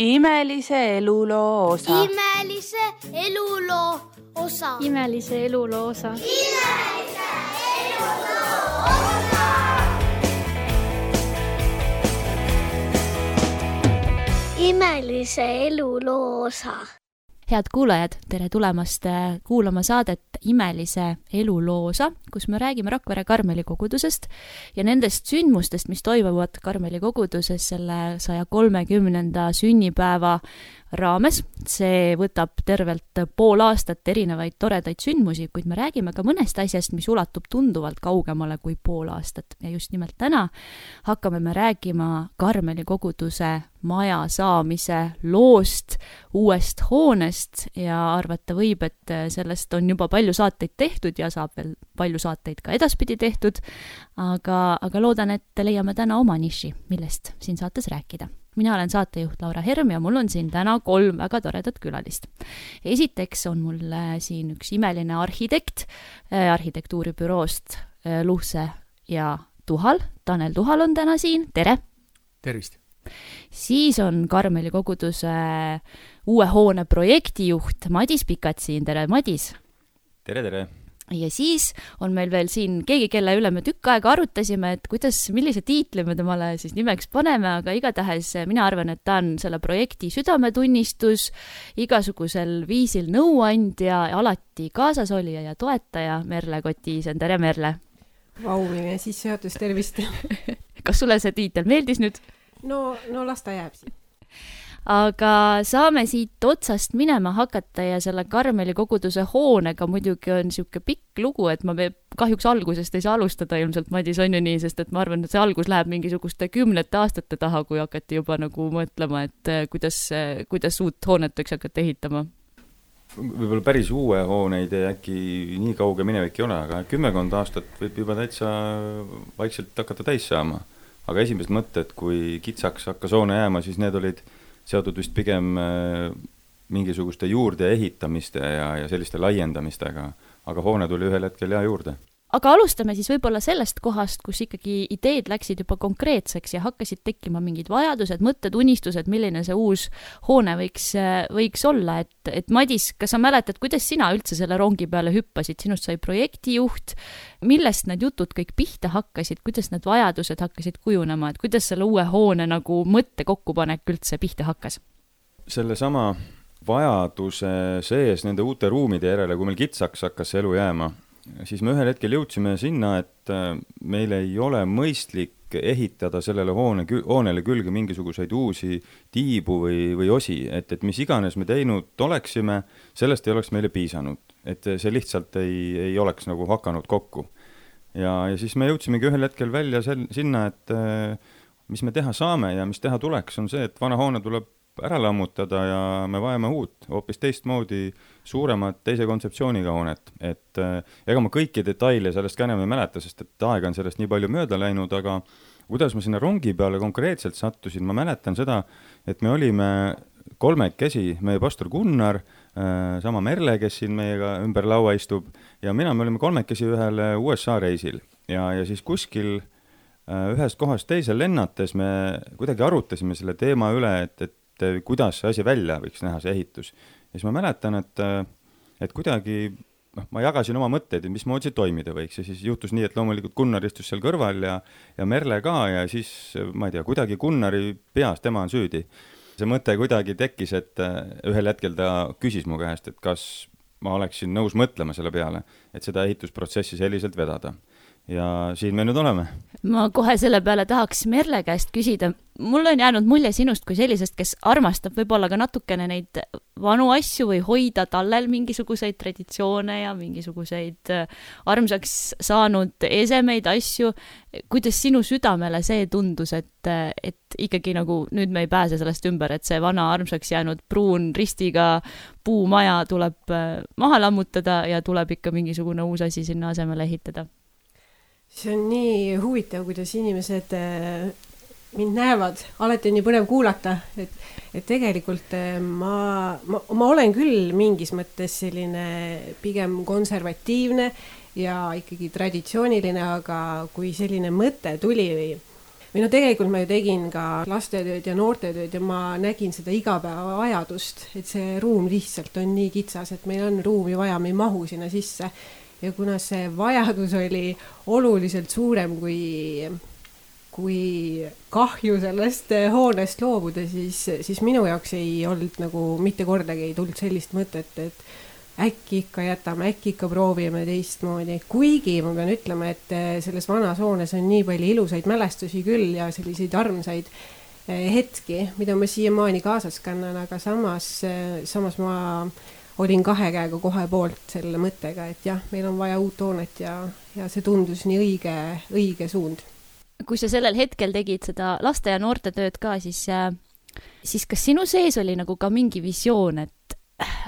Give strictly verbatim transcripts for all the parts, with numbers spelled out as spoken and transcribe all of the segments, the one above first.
Imelise eluloo osa. Imelise eluloo osa. Imelise eluloo osa. Imelise eluloo osa. Imelise eluloo osa. Head kuulajad, tere tulemast kuulama saadet Imelise eluloo osa, kus me räägime Rakvere Karmeli kogudusest ja nendest sündmustest, mis toimuvad Karmeli koguduses selle saja kolmekümnenda sünnipäeva raames. See võtab tervelt pool aastat erinevaid toredaid sündmusi, kuid me räägime ka mõnest asjast, mis ulatub tunduvalt kaugemale kui pool aastat. Ja just nimelt täna hakkame me räägima Karmeli koguduse maja saamise loost, uuest hoonest ja arvata võib, et sellest on juba palju saateid tehtud ja saab veel palju saateid ka edaspidi tehtud, aga, aga loodan, et leiame täna oma niši, millest siin saates rääkida. Mina olen saatejuht Laura Herm ja mul on siin täna kolm väga toredat külalist. Esiteks on mul siin üks imeline arhitekt arhitektuuribüroost Luhse ja Tuhal. Tanel Tuhal on täna siin. Tere! Tervist! Siis on Karmeli koguduse uue hoone projektijuht Madis Pikat siin. Tere, Madis! Tere, tere! Ja siis on meil veel siin keegi, kelle üle me tükk aega arutasime, et kuidas, millise tiitli me temale siis nimeks paneme, aga igatahes mina arvan, et ta on selle projekti südametunnistus, igasugusel viisil nõuandja ja alati kaasas olija ja toetaja Merle Kotiisen. Tere, Merle! Vau, mine sissejuhatus, tervist! Kas sulle see tiitel meeldis nüüd? No, no las ta jääb siin. Aga saame siit otsast minema hakata ja selle Karmeli koguduse hoonega muidugi on siuke pikk lugu, et ma kahjuks algusest ei saa alustada ilmselt, Madis, on ju nii, sest et ma arvan, et see algus läheb mingisuguste kümnete aastate taha, kui hakati juba nagu mõtlema, et kuidas, kuidas uut hoonet võiks hakata ehitama. Võib-olla päris uue hooneid ja äkki nii kauge minevik ei ole, aga kümmekond aastat võib juba täitsa vaikselt hakata täis saama. Aga esimesed mõtted, kui kitsaks hakkas hoone jääma, siis need olid seotud vist pigem mingisuguste juurde ehitamiste ja, ja selliste laiendamistega, aga hoone tuli ühel hetkel ja juurde. Aga alustame siis võib-olla sellest kohast, kus ikkagi ideed läksid juba konkreetseks ja hakkasid tekkima mingid vajadused, mõtted, unistused, milline see uus hoone võiks, võiks olla. Et, et Madis, kas sa mäletad, kuidas sina üldse selle rongi peale hüppasid? Sinust sai projektijuht, millest need jutud kõik pihta hakkasid, kuidas need vajadused hakkasid kujunema, et kuidas selle uue hoone nagu mõtte kokkupanek üldse pihta hakkas? Selle sama vajaduse sees nende uute ruumide järele, kui meil kitsaks hakkas elu jääma, siis me ühel hetkel jõudsime sinna, et meil ei ole mõistlik ehitada sellele hoone, hoonele külge mingisuguseid uusi tiibu või, või osi, et, et mis iganes me teinud oleksime, sellest ei oleks meile piisanud, et see lihtsalt ei, ei oleks nagu hakanud kokku. Ja, ja siis me jõudsimegi ühel hetkel välja sel, sinna, et mis me teha saame ja mis teha tuleks, on see, et vana hoone tuleb ära lammutada ja me vajame uut, hoopis teistmoodi suuremat teise kontseptsiooniga hoonet. Et ega ma kõiki detaile sellest ka enam ei mäleta, sest et aega on sellest nii palju mööda läinud, aga kuidas ma sinna rongi peale konkreetselt sattusin, ma mäletan seda, et me olime kolmekesi, meie pastor Gunnar, sama Merle, kes siin meiega ümber laua istub, ja mina me olime kolmekesi ühel U S A reisil ja, ja siis kuskil ühest kohast teisel lennates me kuidagi arutasime selle teema üle, et, et kuidas see asi välja võiks näha, see ehitus. Ja siis ma mäletan, et, et kuidagi noh, ma jagasin oma mõtteid, et mismoodi see toimida võiks. Ja siis juhtus nii, et loomulikult Gunnar istus seal kõrval ja, ja Merle ka ja siis, ma ei tea, kuidagi Gunnari peas, tema on süüdi. See mõte kuidagi tekkis, et ühel hetkel ta küsis mu käest, et kas ma oleksin nõus mõtlema selle peale, et seda ehitusprotsessi selliselt vedada. Ja siin me nüüd oleme. Ma kohe selle peale tahaks Merle käest küsida. Mul on jäänud mulje sinust kui sellisest, kes armastab võib-olla ka natukene neid vanu asju või hoida tallel mingisuguseid traditsioone ja mingisuguseid armsaks saanud esemeid asju. Kuidas sinu südamele see tundus, et, et ikkagi nagu nüüd me ei pääse sellest ümber, et see vana armsaks jäänud pruun ristiga puumaja tuleb maha lammutada ja tuleb ikka mingisugune uus asi sinna asemele ehitada? See on nii huvitav, kuidas inimesed mind näevad. Alati on nii põnev kuulata, et, et tegelikult ma, ma, ma olen küll mingis mõttes selline pigem konservatiivne ja ikkagi traditsiooniline, aga kui selline mõte tuli või või no tegelikult ma ju tegin ka lastetööd ja noortetööd ja ma nägin seda igapäeva vajadust, et see ruum lihtsalt on nii kitsas, et meil on ruumi vaja, me ei mahu sinna sisse. Ja kuna see vajadus oli oluliselt suurem kui, kui kahju sellest hoonest loobuda, siis, siis minu jaoks ei olnud nagu mitte kordagi ei tulnud sellist mõtet, et äkki ikka jätame, äkki ikka proovime teistmoodi. Kuigi ma pean ütlema, et selles vanas hoones on nii palju ilusaid mälestusi küll ja selliseid armsaid hetki, mida ma siiamaani kaasas kannan, aga samas, samas ma olin kahe käega kohe poolt selle mõttega, et jah, meil on vaja uut hoonet ja, ja see tundus nii õige, õige suund. Kui sa sellel hetkel tegid seda laste- ja noortetööd ka, siis, siis kas sinu sees oli nagu ka mingi visioon, et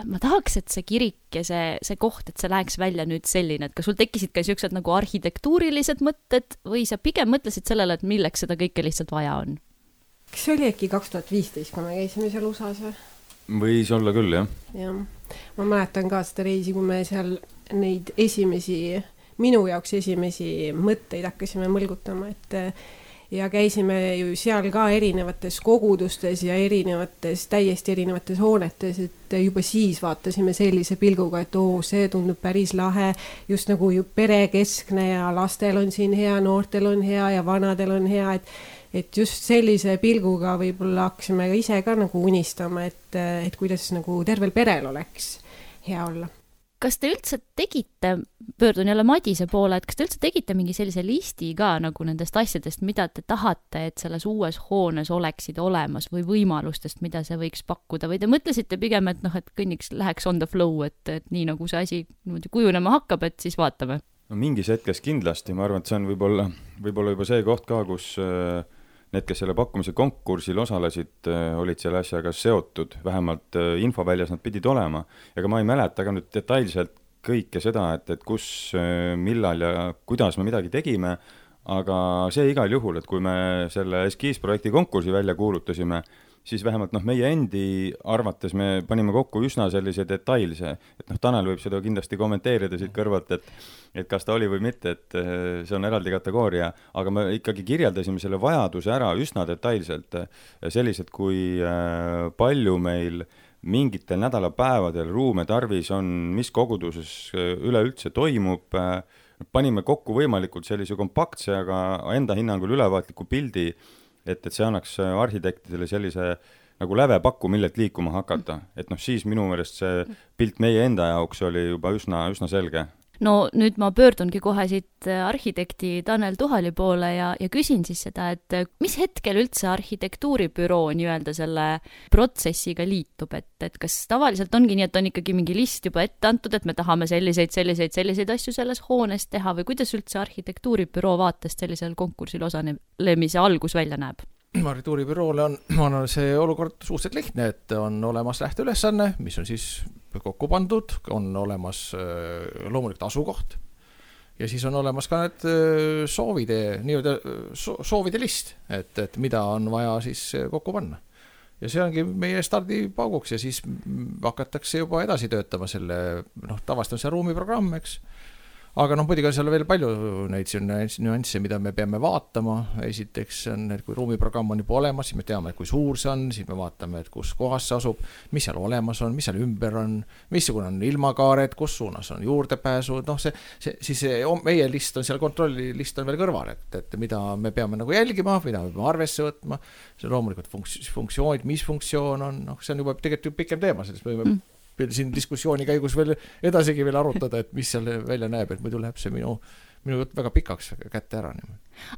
ma tahaks, et see kirik ja see, see koht, et see läheks välja nüüd selline, et kas sul tekkisid ka siuksed nagu arhitektuurilised mõtted või sa pigem mõtlesid sellele, et milleks seda kõike lihtsalt vaja on? Kas see oli äkki kaks tuhat viisteist, kui me käisime seal U S A-s või? Võis olla küll, jah. jah. Ma mäletan ka seda reisi, kui me seal neid esimesi, minu jaoks esimesi mõtteid hakkasime mõlgutama, et ja käisime ju seal ka erinevates kogudustes ja erinevates, täiesti erinevates hoonetes, et juba siis vaatasime sellise pilguga, et oo, see tundub päris lahe, just nagu ju perekeskne ja lastel on siin hea, noortel on hea ja vanadel on hea, et, et just sellise pilguga võib-olla hakkasime ka ise ka nagu unistama, et, et kuidas nagu tervel perel oleks hea olla. Kas te üldse tegite, pöördun jälle Madise poole, et kas te üldse tegite mingi sellise listi ka nagu nendest asjadest, mida te tahate, et selles uues hoones oleksid olemas või võimalustest, mida see võiks pakkuda või te mõtlesite pigem, et noh, et kõnniks läheks on the flow, et, et nii nagu see asi kujunema hakkab, et siis vaatame? No mingis hetkes kindlasti, ma arvan, et see on võib-olla, võib-olla juba see koht ka, kus need, kes selle pakkumise konkursil osalesid, olid selle asjaga seotud, vähemalt infoväljas nad pidid olema. Ja ma ei mäleta ka nüüd detailselt kõike seda, et, et kus, millal ja kuidas me midagi tegime, aga see igal juhul, et kui me selle eskiisprojekti konkursi välja kuulutasime, siis vähemalt noh, meie endi arvates me panime kokku üsna sellise detailse, et noh, Tanel võib seda kindlasti kommenteerida siit kõrvalt, et, et kas ta oli või mitte, et see on eraldi kategooria, aga me ikkagi kirjeldasime selle vajaduse ära üsna detailselt, sellised kui palju meil mingitel nädalapäevadel ruume tarvis on, mis koguduses üleüldse toimub, panime kokku võimalikult sellise kompaktse, aga enda hinnangul ülevaatliku pildi, et, et see annaks arhitektidele sellise nagu lävepakku, millelt liikuma hakata. Et noh, siis minu meelest see pilt meie enda jaoks oli juba üsna, üsna selge. No nüüd ma pöördungi kohe siit arhitekti Tanel Tuhali poole ja, ja küsin siis seda, et mis hetkel üldse arhitektuuribüroo nii-öelda selle protsessiga liitub, et, et kas tavaliselt ongi nii, et on ikkagi mingi list juba ette antud, et me tahame selliseid, selliseid, selliseid asju selles hoones teha või kuidas üldse arhitektuuribüroo vaatest sellisel konkursil osalemise algus välja näeb? Arhitektuuribüroole on, on see olukord suhteliselt lihtne, et on olemas lähteülesanne, mis on siis kokku pandud, on olemas loomulikult asukoht ja siis on olemas ka need soovide, nii-öelda soovide list, et, et mida on vaja siis kokku panna. Ja see ongi meie stardipauguks ja siis hakatakse juba edasi töötama selle, noh, tavaliselt on see ruumiprogramm, eks. Aga noh, muidugi on seal veel palju neid nüansse, mida me peame vaatama. Esiteks on, et kui ruumiprogramm on juba olemas, siis me teame, kui suur see on, siis me vaatame, et kus kohas see asub, mis seal olemas on, mis seal ümber on, missugune on ilmakaared, kus suunas on juurdepääsu, noh see, see, siis see, meie list on seal, kontrolli list on veel kõrval, et, et mida me peame nagu jälgima, mida me peame arvesse võtma, see loomulikult funks, funktsioonid, mis funktsioon on, noh see on juba tegelikult pikem teema, sellest võime mm. siin diskussiooni käigus veel edasigi veel arutada, et mis seal välja näeb, et muidu läheb see minu, minu jutt väga pikaks kätte ära.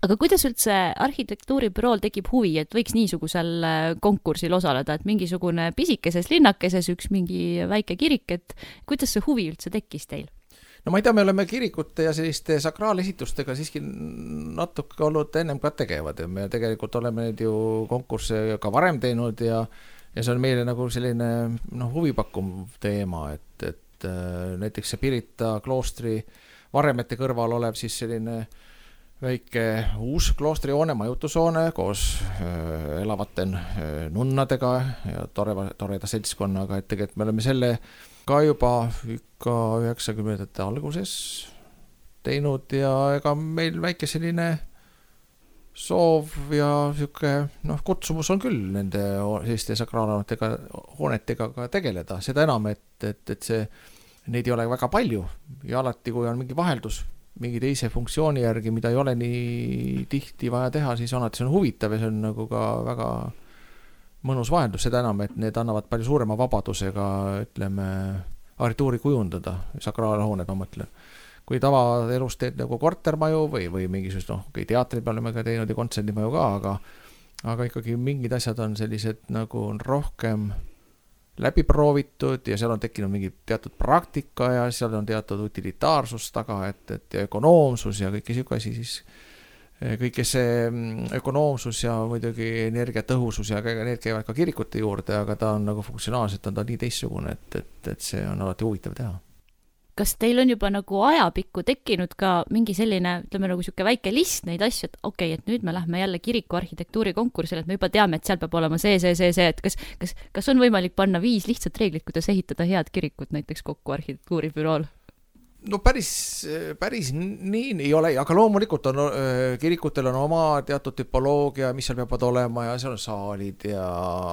Aga kuidas üldse arhitektuuribürool tekib huvi, et võiks niisugusel konkursil osaleda, et mingisugune pisikeses linnakeses üks mingi väike kirik, et kuidas see huvi üldse tekkis teil? No ma ei tea, me oleme kirikute ja selliste sakraalesitustega siiski natuke olnud ennem ka tegevad ja me tegelikult oleme need ju konkursse ka varem teinud ja Ja see on meile nagu selline no, huvipakkum teema, et, et näiteks see Pirita kloostri varemete kõrval olev siis selline väike uus kloostrihoone, majutushoone koos äh, elavate äh, nunnadega ja tore, toreda seltskonnaga, et tegelikult me oleme selle ka juba ikka üheksakümnendate alguses teinud ja ega meil väike selline soov ja niisugune noh, kutsumus on küll nende selliste sakraalhoonetega hoonetega ka tegeleda, seda enam, et, et, et see, neid ei ole väga palju ja alati, kui on mingi vaheldus mingi teise funktsiooni järgi, mida ei ole nii tihti vaja teha, siis alati see on huvitav ja see on nagu ka väga mõnus vaheldus, seda enam, et need annavad palju suurema vabadusega, ütleme, arhitektuuri kujundada, sakraalhooned, ma mõtlen. Kui tavaelus teed nagu kortermaju või, või mingisugust, noh, okay, teatri peale me ka teinud ja kontserdimaju ka, aga, aga ikkagi mingid asjad on sellised nagu rohkem läbi proovitud ja seal on tekkinud mingi teatud praktika ja seal on teatud utilitaarsus taga, et, et ja ökonoomsus ja kõike siuke asi, siis kõike see ökonoomsus ja muidugi energiatõhusus ja need käivad ka kirikute juurde, aga ta on nagu funktsionaalselt on ta nii teistsugune, et, et, et see on alati huvitav teha. Kas teil on juba nagu ajapikku tekkinud ka mingi selline, ütleme nagu siuke väike list neid asju, et okei, okay, et nüüd me lähme jälle kiriku arhitektuuri konkursile, et me juba teame, et seal peab olema see, see, see, see, et kas, kas, kas on võimalik panna viis lihtsat reeglit, kuidas ehitada head kirikut näiteks kokku arhitektuuribürool? No päris, päris nii ei ole, aga loomulikult on kirikutel on oma teatud tüpoloogia, mis seal peavad olema ja seal on saalid ja,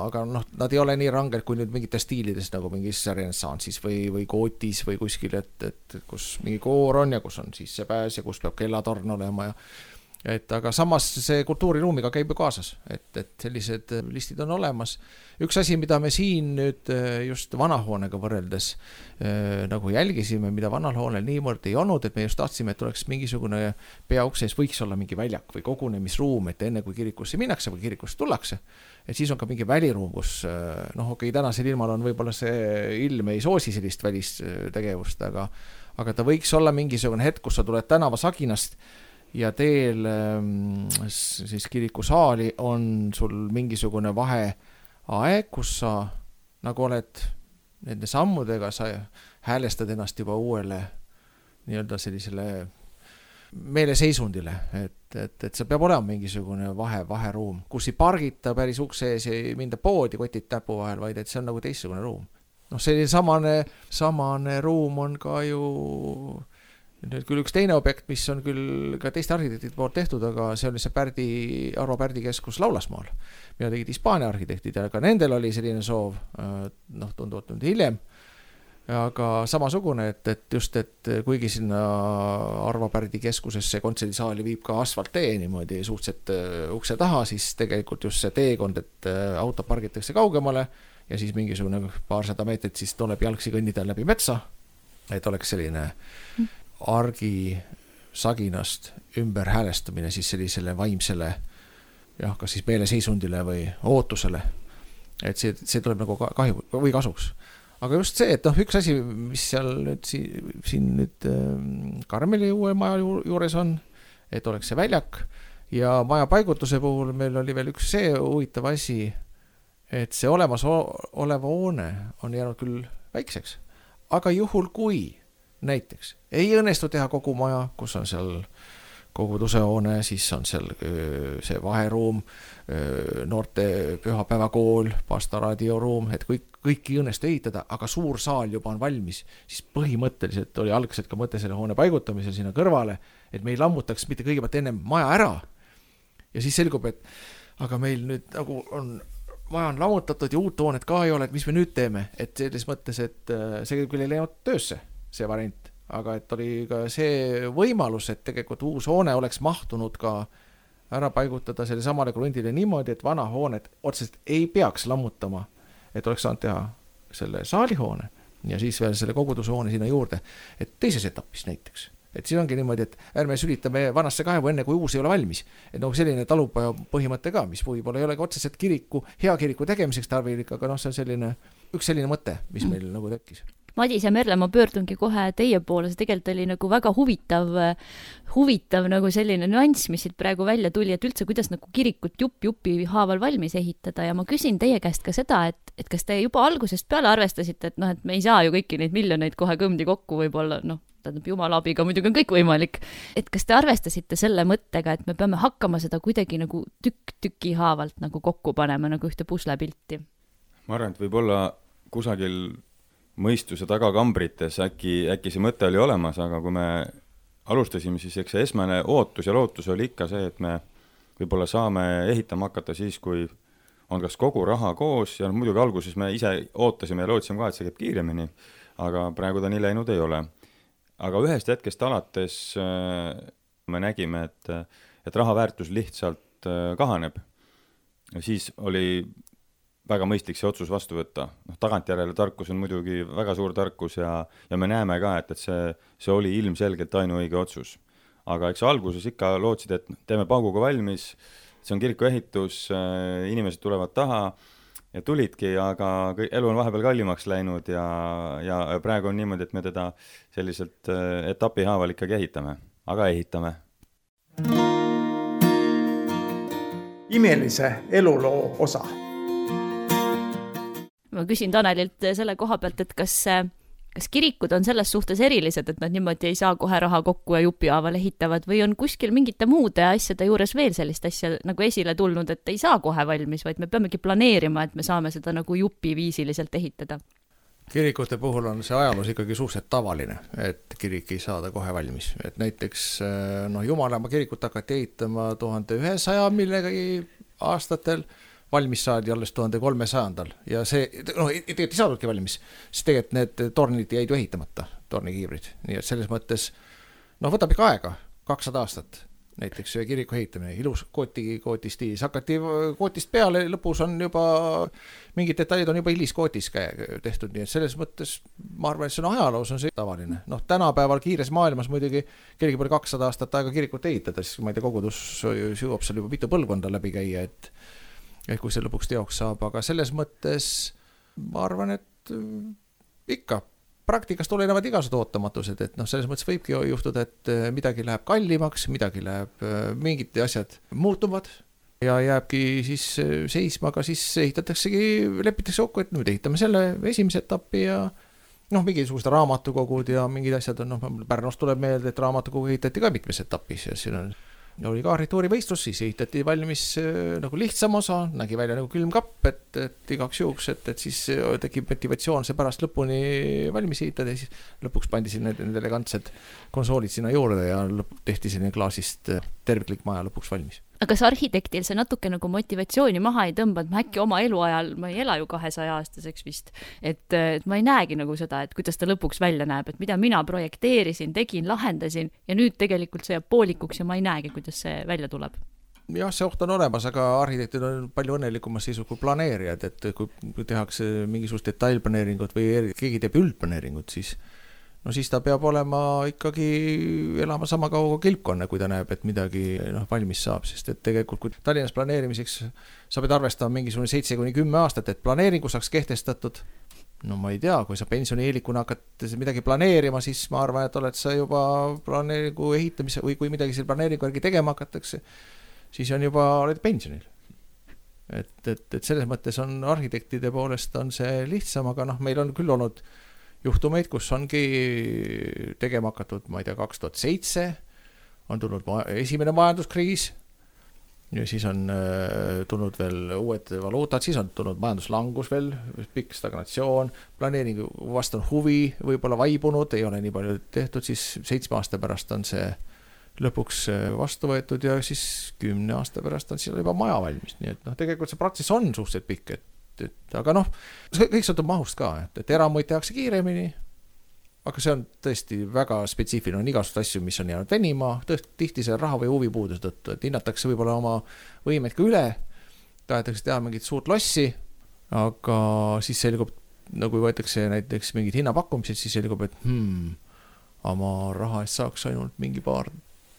aga noh, nad ei ole nii ranged kui nüüd mingites stiilides nagu mingis renessansis või, või kootis või kuskil, et, et kus mingi koor on ja kus on sissepääs ja kus peab kellatorn olema ja et aga samas see kultuuriruumiga käib ju kaasas, et, et sellised listid on olemas. Üks asi, mida me siin nüüd just vanahoonega võrreldes äh, nagu jälgisime, mida vanal hoonel niivõrd ei olnud, et me just tahtsime, et oleks mingisugune peaukses võiks olla mingi väljak või kogunemisruum, et enne kui kirikusse minnakse või kirikusse tullakse, et siis on ka mingi väliruum, kus noh, okei, tänasel ilmal on võib-olla see ilm ei soosi sellist välistegevust, aga, aga ta võiks olla mingisugune hetk, kus sa tuled tänava saginast ja teel siis kirikusaali on sul mingisugune vaheaeg, kus sa nagu oled nende sammudega, sa häälestad ennast juba uuele nii-öelda sellisele meeleseisundile, et, et, et see peab olema mingisugune vahe, vaheruum, kus ei pargita päris ukse ees, ei minda poodi kotid täpu vahel, vaid et see on nagu teistsugune ruum. Noh, selline samane, samane ruum on ka ju nüüd küll üks teine objekt, mis on küll ka teiste arhitektide poolt tehtud, aga see oli see Pärdi, Arvo Pärdi keskus Laulasmaal, mida tegid Hispaania arhitektid ja ka nendel oli selline soov, noh, tunduvalt nüüd hiljem, aga samasugune, et, et just, et kuigi sinna Arvo Pärdi keskusesse kontserdisaali viib ka asfalttee niimoodi suhteliselt ukse taha, siis tegelikult just see teekond, et auto pargitakse kaugemale ja siis mingisugune paarsada meetrit siis tuleb jalgsi kõnnida läbi metsa, et oleks selline argi saginast ümber häälestamine siis sellisele vaimsele jah, kas siis meeleseisundile või ootusele, et see, see tuleb nagu kahju või kasuks. Aga just see, et noh, üks asi, mis seal nüüd siin, siin nüüd Karmeli uue maja juures on, et oleks see väljak ja maja paigutuse puhul meil oli veel üks see huvitav asi, et see olemas oleva hoone on jäänud küll väikseks, aga juhul kui näiteks ei õnnestu teha kogu maja, kus on seal kogudusehoone, siis on seal see vaheruum, noorte pühapäevakool, pastoraadio-ruum, et kõik, kõik ei õnnestu ehitada, aga suur saal juba on valmis, siis põhimõtteliselt oli algselt ka mõte selle hoone paigutamisel sinna kõrvale, et me ei lammutaks mitte kõigepealt enne maja ära ja siis selgub, et aga meil nüüd nagu on maja on lammutatud ja uut hoonet ka ei ole, et mis me nüüd teeme, et selles mõttes, et see küll ei läinud töösse see variant, aga et oli ka see võimalus, et tegelikult uus hoone oleks mahtunud ka ära paigutada selle samale krundile niimoodi, et vana hoonet otseselt ei peaks lammutama, et oleks saanud teha selle saalihoone ja siis veel selle kogudushoone sinna juurde, et teises etapis näiteks. Et siin ongi niimoodi, et ärme sülitame vanasse kaevu enne, kui uus ei ole valmis. Et noh, selline talupaja põhimõte ka, mis võib-olla ei ole ka otseselt kiriku, hea kiriku tegemiseks tarvilik, aga noh, see on selline, üks selline mõte, mis meil mm. nagu tekkis. Madis ja Merle, ma pöördungi kohe teie poole, see tegelikult oli nagu väga huvitav, huvitav nagu selline nüanss, mis siit praegu välja tuli, et üldse kuidas nagu kirikut jupp-jupi haaval valmis ehitada ja ma küsin teie käest ka seda, et, et kas te juba algusest peale arvestasite, et noh, et me ei saa ju kõiki neid miljoneid kohe kõmdi kokku võib-olla, noh, tähendab jumala abiga muidugi on kõik võimalik, et kas te arvestasite selle mõttega, et me peame hakkama seda kuidagi nagu tükk tüki haavalt nagu kokku panema nagu ühte puslepilti? Ma arvan, et võib-olla kusagil mõistuse tagakambrites äkki, äkki see mõte oli olemas, aga kui me alustasime, siis eks see esmane ootus ja lootus oli ikka see, et me võib-olla saame ehitama hakata siis, kui on kas kogu raha koos ja muidugi alguses me ise ootasime ja lootsime ka, et see käib kiiremini, aga praegu ta nii läinud ei ole. Aga ühest hetkest alates me nägime, et, et raha väärtus lihtsalt kahaneb. Ja siis oli väga mõistlik see otsus vastu võtta. No, tagantjärele tarkus on muidugi väga suur tarkus ja, ja me näeme ka, et, et see, see oli ilmselgelt ainuõige otsus. Aga eks alguses ikka lootsid, et teeme pauguga valmis, see on kiriku ehitus, inimesed tulevad taha ja tulidki, aga elu on vahepeal kallimaks läinud ja, ja praegu on niimoodi, et me teda selliselt etapi haaval ikkagi ehitame, aga ehitame. Imelise eluloo osa. Ma küsin Tanelilt selle koha pealt, et kas, kas kirikud on selles suhtes erilised, et nad niimoodi ei saa kohe raha kokku ja jupihaaval ehitavad või on kuskil mingite muude asjade juures veel sellist asja nagu esile tulnud, et ei saa kohe valmis, vaid me peamegi planeerima, et me saame seda nagu jupiviisiliselt ehitada? Kirikute puhul on see ajaloos ikkagi suhteliselt tavaline, et kirik ei saada kohe valmis. Et näiteks no, Jumalamaa kirikut hakati ehitama tuhande ühesaja millegagi aastatel, valmis saadi alles tuhande kolmesajandal ja see, noh, tegelikult ei saadudki valmis, siis tegelikult need tornid jäid ju ehitamata, tornikiibrid, nii et selles mõttes, noh, võtab ikka aega, kakssada aastat, näiteks kiriku ehitamine, ilus kooti, kooti stiilis, hakati kootist peale, lõpus on juba, mingid detailid on juba hiliskootis tehtud, nii et selles mõttes, ma arvan, et see on ajaloos on see tavaline, noh, tänapäeval kiires maailmas muidugi kirigi pole kakssada aastat aega kirikut ehitada, siis ma ei tea, kogudus jõuab seal juba mitu põlvkonda läbi käia, et et kui see lõpuks teoks saab, aga selles mõttes ma arvan, et ikka praktikas tulenevad igasugused ootamatused, et noh, selles mõttes võibki juhtuda, et midagi läheb kallimaks, midagi läheb, mingid asjad muutuvad ja jääbki siis seisma, aga siis ehitataksegi, lepitakse kokku, et nüüd ehitame selle esimese etappi ja noh, mingisugused raamatukogud ja mingid asjad on, noh, Pärnust tuleb meelde, et raamatukogu ehitati ka mitmes etapis ja siin on oli ka arhitektuurivõistlus, siis ehitati valmis nagu lihtsam osa, nägi välja nagu külmkapp, et, et igaks juhuks, et, et siis tekib motivatsioon see pärast lõpuni valmis ehitada ja siis lõpuks pandi sinna need elegantsed konsoolid sinna juurde ja lõp, tehti sinna klaasist terviklik maja lõpuks valmis. Aga kas arhitektil see natuke nagu motivatsiooni maha ei tõmba, et ma äkki oma eluajal, ma ei ela ju kahesaja aastaseks vist, et, et ma ei näegi nagu seda, et kuidas ta lõpuks välja näeb, et mida mina projekteerisin, tegin, lahendasin ja nüüd tegelikult see jääb poolikuks ja ma ei näegi, kuidas see välja tuleb. Jah, see oht on olemas, aga arhitektid on palju õnnelikumas siis kui planeerijad, et kui tehakse mingisugust detailplaneeringut või keegi teeb üldplaneeringut, siis no siis ta peab olema ikkagi elama sama kaua kilpkonne, kui ta näeb, et midagi noh, valmis saab, sest et tegelikult kui Tallinnas planeerimiseks sa pead arvestama mingisugune seitse kuni kümme aastat, et planeeringu saaks kehtestatud, no ma ei tea, kui sa pensionieelikuna hakkad midagi planeerima, siis ma arvan, et oled sa juba planeeringu ehitamise või kui midagi selle planeeringu järgi tegema hakatakse, siis on juba, oled pensionil. Et, et, et selles mõttes on arhitektide poolest on see lihtsam, aga noh, meil on küll olnud juhtumeid, kus ongi tegema hakatud, ma ei tea, kaks tuhat seitse on tulnud esimene majanduskriis ja siis on tulnud veel uued valuutad, siis on tulnud majanduslangus veel, pikk stagnatsioon, planeeringu vastu on huvi, võib-olla vaibunud, ei ole nii palju tehtud, siis seitsme aasta pärast on see lõpuks vastu võetud ja siis kümne aasta pärast on seal juba maja valmis, nii et noh, tegelikult see protsess on suhteliselt pikk, et Et, aga noh, kõik sõltub mahust ka, et, et eramuid tehakse kiiremini, aga see on tõesti väga spetsiifiline, on igasugused asju, mis on jäänud venima, tihti see raha või huvi puuduse tõttu, et hinnatakse võib-olla oma võimeid ka üle, tahetakse teha mingit suurt lossi, aga siis selgub, nagu võetakse näiteks mingid hinnapakkumised, siis selgub, et hmm, oma raha eest saaks ainult mingi paar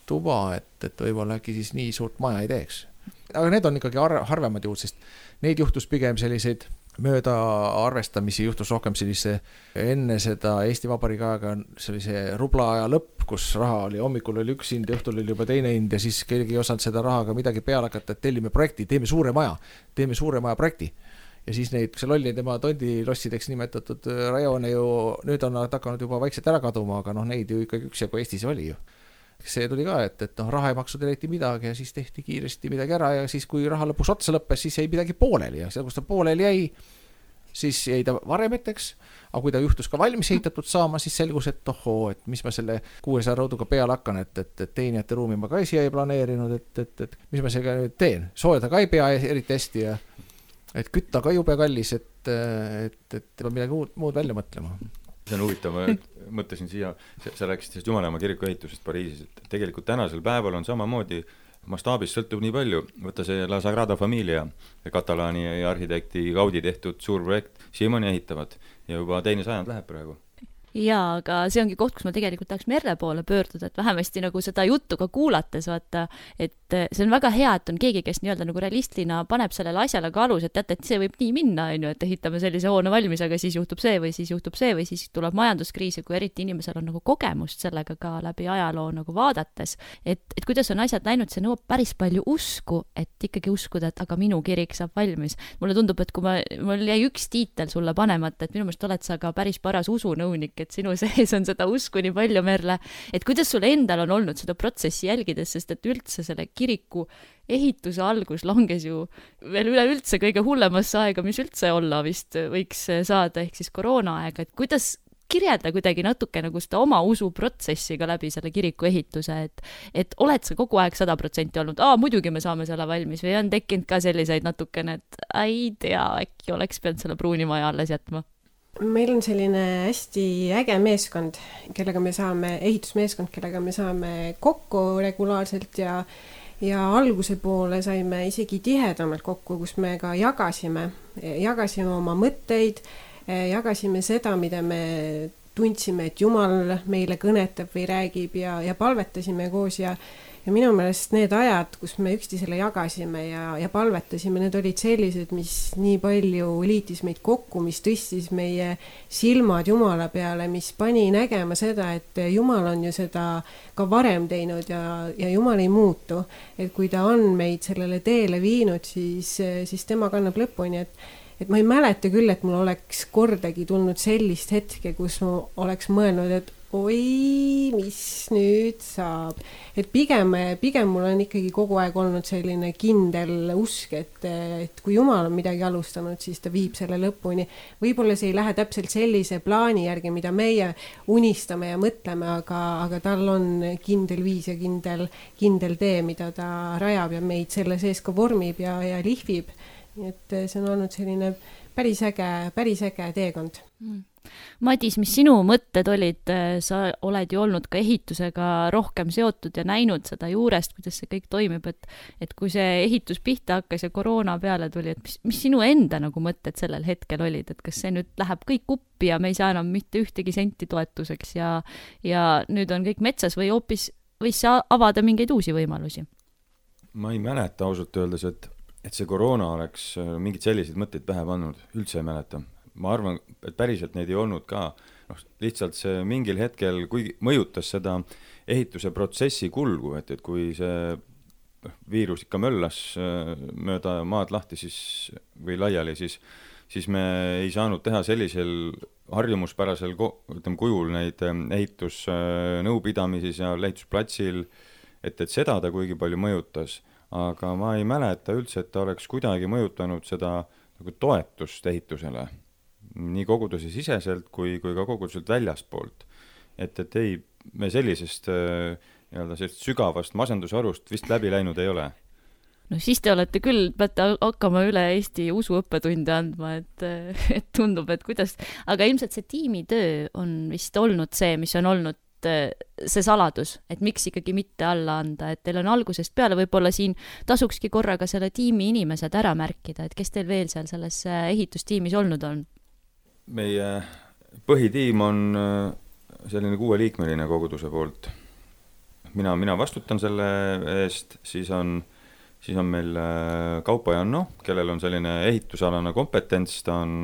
tuba, et, et võib-olla äkki siis nii suurt maja ei teeks. Aga need on ikkagi har- harvemad juhud, sest neid juhtus pigem selliseid mööda arvestamisi, juhtus rohkem sellise enne seda Eesti Vabariigi aega sellise rubla aja lõpp, kus raha oli, hommikul oli üks hind ja õhtul oli juba teine hind ja siis keegi ei osanud seda rahaga midagi peale hakata, et tellime projekti, teeme suure maja, teeme suure maja projekti. Ja siis neid, see lolli tema tondilossideks nimetatud rajoone ju, nüüd on nad hakanud juba vaikselt ära kaduma, aga noh, neid ju ikkagi üks ja kui Eestis oli ju. See tuli ka, et, et noh, raha ei maksud eriti midagi ja siis tehti kiiresti midagi ära ja siis kui raha lõpuks otsa lõppes, siis jäi midagi pooleli ja seal, kus ta pooleli jäi, siis jäi ta varemeteks, aga kui ta juhtus ka valmis ehitatud saama, siis selgus, et ohoo, et mis ma selle kuuesaja rõuduga peale hakkan, et, et, et teenijate ruumi ma ka siia ei planeerinud, et, et, et mis ma sellega nüüd teen, soojada ka ei pea eriti hästi ja et kütta ka jube kallis, et, et, et peab midagi muud, muud välja mõtlema. See on huvitav, ma mõtlesin siia, sa rääkisid sellest Jumalamaa kiriku ehitusest Pariisis, et tegelikult tänasel päeval on samamoodi mastaabis sõltub nii palju, võtta see La Sagrada Familia, katalaani arhitekti Gaudi tehtud suur projekt, siiamaani ehitavad ja juba teine sajand läheb praegu. Jaa, aga see ongi koht, kus ma tegelikult tahaks Merle poole pöörduda, et vähemasti nagu seda juttu ka kuulates, vaata, et see on väga hea, et on keegi, kes nii-öelda nagu realistlina paneb sellele asjale ka alus, et teate, et see võib nii minna, on ju, et ehitame sellise hoone valmis, aga siis juhtub see või siis juhtub see või siis tuleb majanduskriis ja kui eriti inimesel on nagu kogemust sellega ka läbi ajaloo nagu vaadates, et, et kuidas on asjad läinud, see nõuab päris palju usku, et ikkagi uskuda, et aga minu kirik saab valmis. Mulle tundub, et kui ma, mul jäi üks tiitel sulle panemata, et minu meelest oled sa ka päris paras usunõunik, et sinu sees on seda usku nii palju, Merle, et kuidas sul endal on olnud seda protsessi jälgides, sest et üldse selle kiriku ehituse algus langes ju veel üleüldse kõige hullemasse aega, mis üldse olla vist võiks saada, ehk siis koroonaaega, et kuidas kirjelda kuidagi natuke nagu seda oma usuprotsessi ka läbi selle kiriku ehituse, et, et oled sa kogu aeg sada protsenti olnud, aa, muidugi me saame selle valmis või on tekkinud ka selliseid natukene, et ei tea, äkki oleks pidanud selle pruuni maja alles jätma? Meil on selline hästi äge meeskond, kellega me saame, ehitusmeeskond, kellega me saame kokku regulaarselt ja, ja alguse poole saime isegi tihedamalt kokku, kus me ka jagasime, jagasime oma mõtteid, jagasime seda, mida me tundsime, et Jumal meile kõnetab või räägib ja, ja palvetasime koos ja, ja minu meelest need ajad, kus me üksteisele jagasime ja, ja palvetasime, need olid sellised, mis nii palju liitis meid kokku, mis tõstis meie silmad Jumala peale, mis pani nägema seda, et Jumal on ju seda ka varem teinud ja, ja Jumal ei muutu. Et kui ta on meid sellele teele viinud, siis, siis tema kannab lõpuni, et et ma ei mäleta küll, et mul oleks kordagi tulnud sellist hetke, kus ma oleks mõelnud, et oi, mis nüüd saab. Et pigem, pigem mul on ikkagi kogu aeg olnud selline kindel usk, et, et kui Jumal on midagi alustanud, siis ta viib selle lõpuni. Võib-olla see ei lähe täpselt sellise plaani järgi, mida meie unistame ja mõtleme, aga, aga tal on kindel viis ja kindel, kindel tee, mida ta rajab ja meid selle sees ka vormib ja, ja lihvib. Nii et see on olnud selline päris äge, päris äge teekond. Madis, mis sinu mõtted olid, sa oled ju olnud ka ehitusega rohkem seotud ja näinud seda juurest, kuidas see kõik toimib, et, et kui see ehitus pihta hakkas ja koroona peale tuli, et mis, mis sinu enda nagu mõtted sellel hetkel olid, et kas see nüüd läheb kõik uppi ja me ei saa enam mitte ühtegi senti toetuseks ja, ja nüüd on kõik metsas või hoopis võis see avada mingeid uusi võimalusi? Ma ei mäleta ausalt öeldes, et et see koroona oleks mingid sellised mõtteid pähe pannud, üldse ei mäleta. Ma arvan, et päriselt neid ei olnud ka. No, lihtsalt see mingil hetkel, kui mõjutas seda ehituse protsessi kulgu, et, et kui see viirus ikka möllas mööda maad lahti siis, või laiali, siis, siis me ei saanud teha sellisel harjumuspärasel ütleme, kujul neid ehitusnõupidamisi ja ehitusplatsil, et, et seda ta kuigi palju mõjutas. Aga ma ei mäleta üldse, et ta oleks kuidagi mõjutanud seda nagu toetust ehitusele, nii koguduse siseselt kui, kui ka koguduselt väljaspoolt. Et, et ei, me sellisest, nii-öelda sellist sügavast masendusarust vist läbi läinud ei ole. No siis te olete küll, peate hakkama üle Eesti usuõppetunde andma, et, et tundub, et kuidas, aga ilmselt see tiimitöö on vist olnud see, mis on olnud see saladus, et miks ikkagi mitte alla anda, et teil on algusest peale võib-olla siin tasukski korraga selle tiimi inimesed ära märkida, et kes teil veel seal selles ehitustiimis olnud on? Meie põhitiim on selline kuueliikmeline koguduse poolt. Mina, mina vastutan selle eest, siis on, siis on meil Kaupo Janno, kellel on selline ehitusalane kompetents, ta on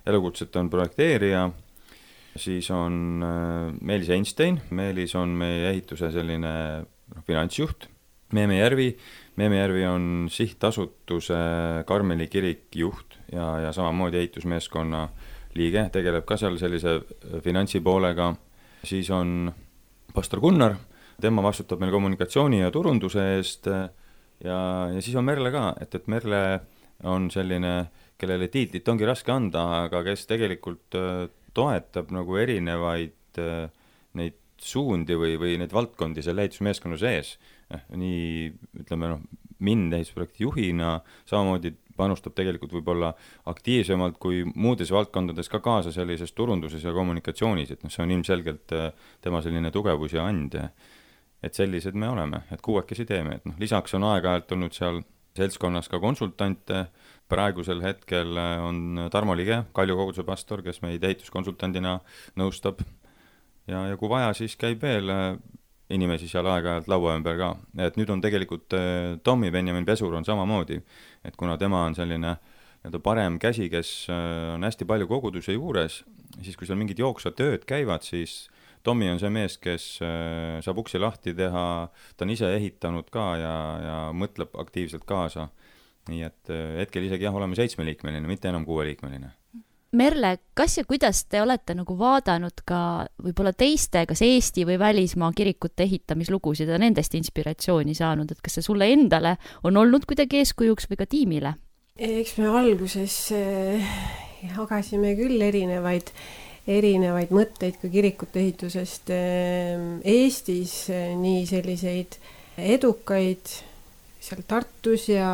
elukutset on projekteerija. Siis on Meelis Einstein, Meelis on meie ehituse selline no, finantsjuht, Meeme Järvi, Meeme Järvi on sihtasutuse Karmeli kirik juht ja, ja samamoodi ehitusmeeskonna liige, tegeleb ka seal sellise finantsipoolega. Siis on pastor Gunnar, tema vastutab meil kommunikatsiooni ja turunduse eest ja, ja siis on Merle ka, et, et Merle on selline kellele tiitlit ongi raske anda, aga kes tegelikult toetab nagu erinevaid neid suundi või, või neid valdkondi selle ehitusmeeskonna sees. Nii, ütleme, noh, mind ehitusprojekti juhina samamoodi panustab tegelikult võib-olla aktiivsemalt kui muudes valdkondades ka kaasa sellises turunduses ja kommunikatsioonis, et noh, see on ilmselgelt tema selline tugevus ja and. Et sellised me oleme, et kuuekesi teeme, et noh, lisaks on aeg-ajalt olnud seal seltskonnas ka konsultante, praegusel hetkel on Tarmo Lige, Kalju koguduse pastor, kes meid ehituskonsultandina nõustab ja, ja kui vaja, siis käib veel inimesi seal aeg-ajalt laua ümber ka. Et nüüd on tegelikult Tommy Benjamin Pesur on samamoodi, et kuna tema on selline parem käsi, kes on hästi palju koguduse juures, siis kui seal mingid jooksvad tööd käivad, siis Tommy on see mees, kes saab uksi lahti teha, ta on ise ehitanud ka ja, ja mõtleb aktiivselt kaasa. Nii et hetkel isegi jah, oleme seitsmeliikmeline, mitte enam kuueliikmeline. Merle, kas ja kuidas te olete nagu vaadanud ka võib-olla teiste, kas Eesti või välismaa kirikute ehitamislugusid ja nendest inspiratsiooni saanud, et kas see sulle endale on olnud kuidagi eeskujuks või ka tiimile? Eks me alguses jagasime küll erinevaid erinevaid mõtteid ka kirikute ehitusest Eestis, nii selliseid edukaid seal Tartus ja,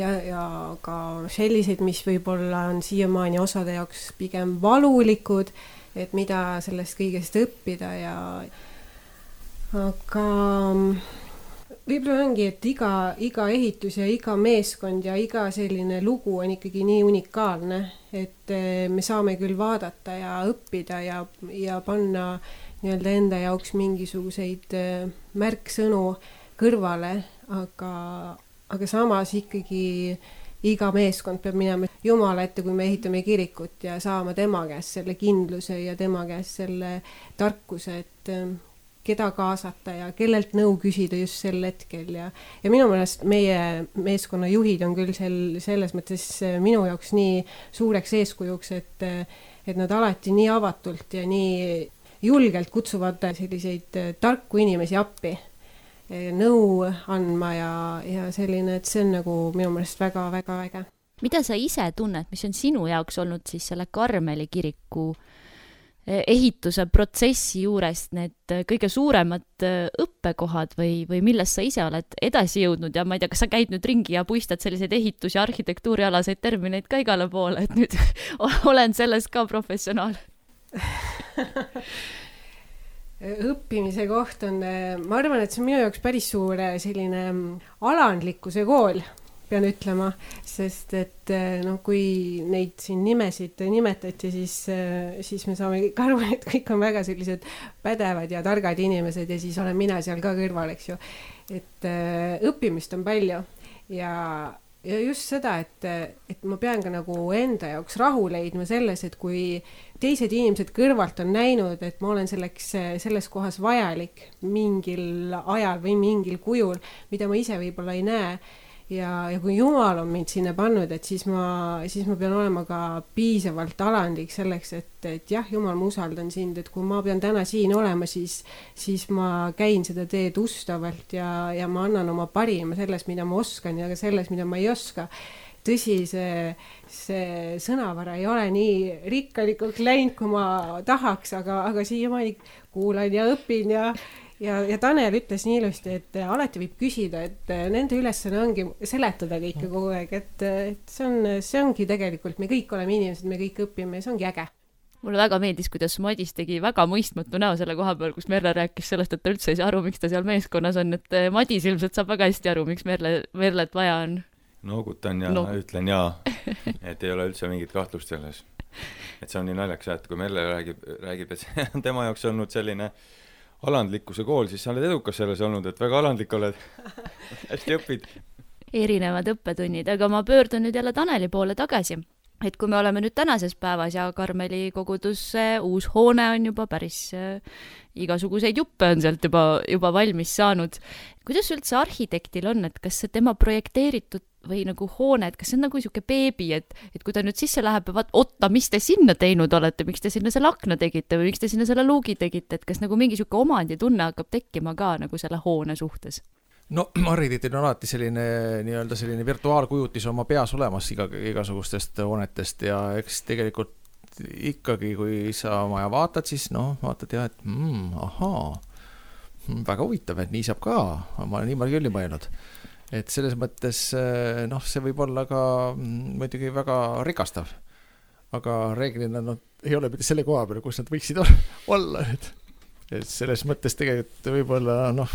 ja, ja ka selliseid, mis võib-olla on siiamaani osade jaoks pigem valulikud, et mida sellest kõigest õppida ja aga võib-olla ongi, et iga, iga ehitus ja iga meeskond ja iga selline lugu on ikkagi nii unikaalne, et me saame küll vaadata ja õppida ja, ja panna nii-öelda enda jaoks mingisuguseid märksõnu kõrvale, aga, aga samas ikkagi iga meeskond peab minema Jumala ette, kui me ehitame kirikut ja saama tema käest selle kindluse ja tema käest selle tarkuse, et keda kaasata ja kellelt nõu küsida just sel hetkel ja, ja minu meelest meie meeskonna juhid on küll sel, selles mõttes minu jaoks nii suureks eeskujuks, et, et nad alati nii avatult ja nii julgelt kutsuvad selliseid tarku inimesi appi nõu andma ja, ja selline, et see on nagu minu meelest väga-väga äge. Mida sa ise tunned, mis on sinu jaoks olnud siis selle Karmeli kiriku ehituse protsessi juures need kõige suuremad õppekohad või, või millest sa ise oled edasi jõudnud ja ma ei tea, kas sa käid nüüd ringi ja puistad selliseid ehitus- ja arhitektuurialaseid termineid ka igale poole, et nüüd olen selles ka professionaal? Õppimise koht on, ma arvan, et see on minu jaoks päris suur selline alandlikkuse kool, pean ütlema, sest et no, kui neid siin nimesid nimetati, siis, siis me saame kõik aru, et kõik on väga sellised pädevad ja targad inimesed ja siis olen mina seal ka kõrval, eks ju. Et õppimist on palju ja, ja just seda, et, et ma pean ka nagu enda jaoks rahu leidma selles, et kui teised inimesed kõrvalt on näinud, et ma olen selleks, selles kohas vajalik mingil ajal või mingil kujul, mida ma ise võib-olla ei näe. Ja, ja kui Jumal on mind sinna pannud, et siis ma, siis ma pean olema ka piisavalt alandlik selleks, et, et jah, Jumal, ma usaldan sind, et kui ma pean täna siin olema, siis, siis ma käin seda teed ustavalt ja, ja ma annan oma parima selles, mida ma oskan ja ka selles, mida ma ei oska. Tõsi, see, see sõnavara ei ole nii rikkalikult läinud, kui ma tahaks, aga, aga siiamaani kuulan ja õpin ja Ja, ja Tanel ütles nii ilusti, et alati võib küsida, et nende ülesanne ongi seletada kõike kogu aeg, et, et see, on, see ongi tegelikult, me kõik oleme inimesed, me kõik õpime ja see ongi äge. Mulle väga meeldis, kuidas Madis tegi väga mõistmatu näo selle koha peal, kus Merle rääkis sellest, et ta üldse ei saa aru, miks ta seal meeskonnas on, et Madis ilmselt saab väga hästi aru, miks Merle, Merlet vaja on. Noogutan ja no. Ütlen jaa, et ei ole üldse mingit kahtlust selles. Et see on nii naljaks, et kui Merle räägib, räägib, et see on tema jaoks olnud selline alandlikkuse kool, siis sa oled edukas selles olnud, et väga alandlik oled, hästi õpid. Erinevad õppetunnid, aga ma pöördun nüüd jälle Taneli poole tagasi. Et kui me oleme nüüd tänases päevas ja Karmeli kogudus uus hoone on juba päris äh, igasuguseid juppe on sealt juba, juba valmis saanud. Kuidas üldse arhitektil on, et kas see tema projekteeritud või nagu hoone, et kas see on nagu niisugune beebi, et, et kui ta nüüd sisse läheb ja vaat, otta, mis te sinna teinud olete, miks te sinna selle akna tegite või miks te sinna selle luugi tegite, et kas nagu mingi niisugune omanditunne hakkab tekkima ka nagu selle hoone suhtes? no arhitektil on alati selline nii-öelda selline virtuaalkujutis oma peas olemas iga, igasugustest hoonetest ja eks tegelikult ikkagi, kui sa maja vaatad, siis noh, vaatad ja, et mm, ahaa, väga huvitav, et nii saab ka, ma olen niimoodi küll ei mõelnud. Et selles mõttes, noh, see võib olla ka muidugi väga rikastav, aga reeglina no, ei ole mitte selle koha peal, kus nad võiksid olla, et et selles mõttes tegelikult võib-olla noh,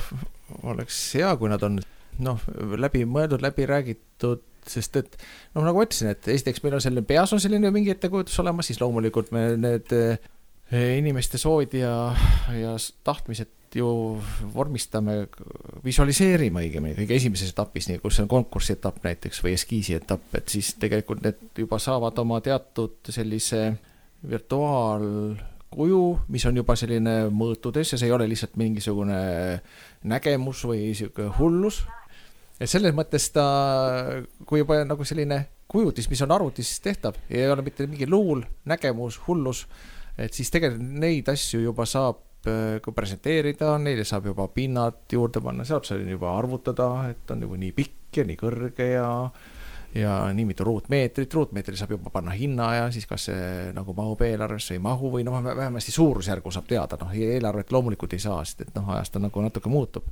oleks hea, kui nad on noh, läbi mõeldud, läbi räägitud, sest et noh, nagu ütlesin, et esiteks meil on selline peas on selline mingi ettekujutus olemas, siis loomulikult me need inimeste soovid ja, ja tahtmised ju vormistame, visualiseerime õigemini kõige esimeses etapis, nii kus on konkursi etapp näiteks või eskiisi etapp, et siis tegelikult need juba saavad oma teatud sellise virtuaal kuju, mis on juba selline mõõtudes ja see ei ole lihtsalt mingisugune nägemus või selline hullus. Ja selles mõttes ta, kui juba nagu selline kujutis, mis on arvutis tehtav ja ei ole mitte mingi luul, nägemus, hullus, et siis tegelikult neid asju juba saab kui presenteerida, neile saab juba pinnad juurde panna, saab seal juba arvutada, et on juba nii pikk ja nii kõrge ja ja nii mitu ruutmeetrit, ruutmeetri saab juba panna hinna ja siis kas see nagu mahub eelarvesse ei mahu või noh, vähemasti suurusjärgu saab teada, noh, eelarvet loomulikult ei saa, sest et noh, ajast on nagu natuke muutub.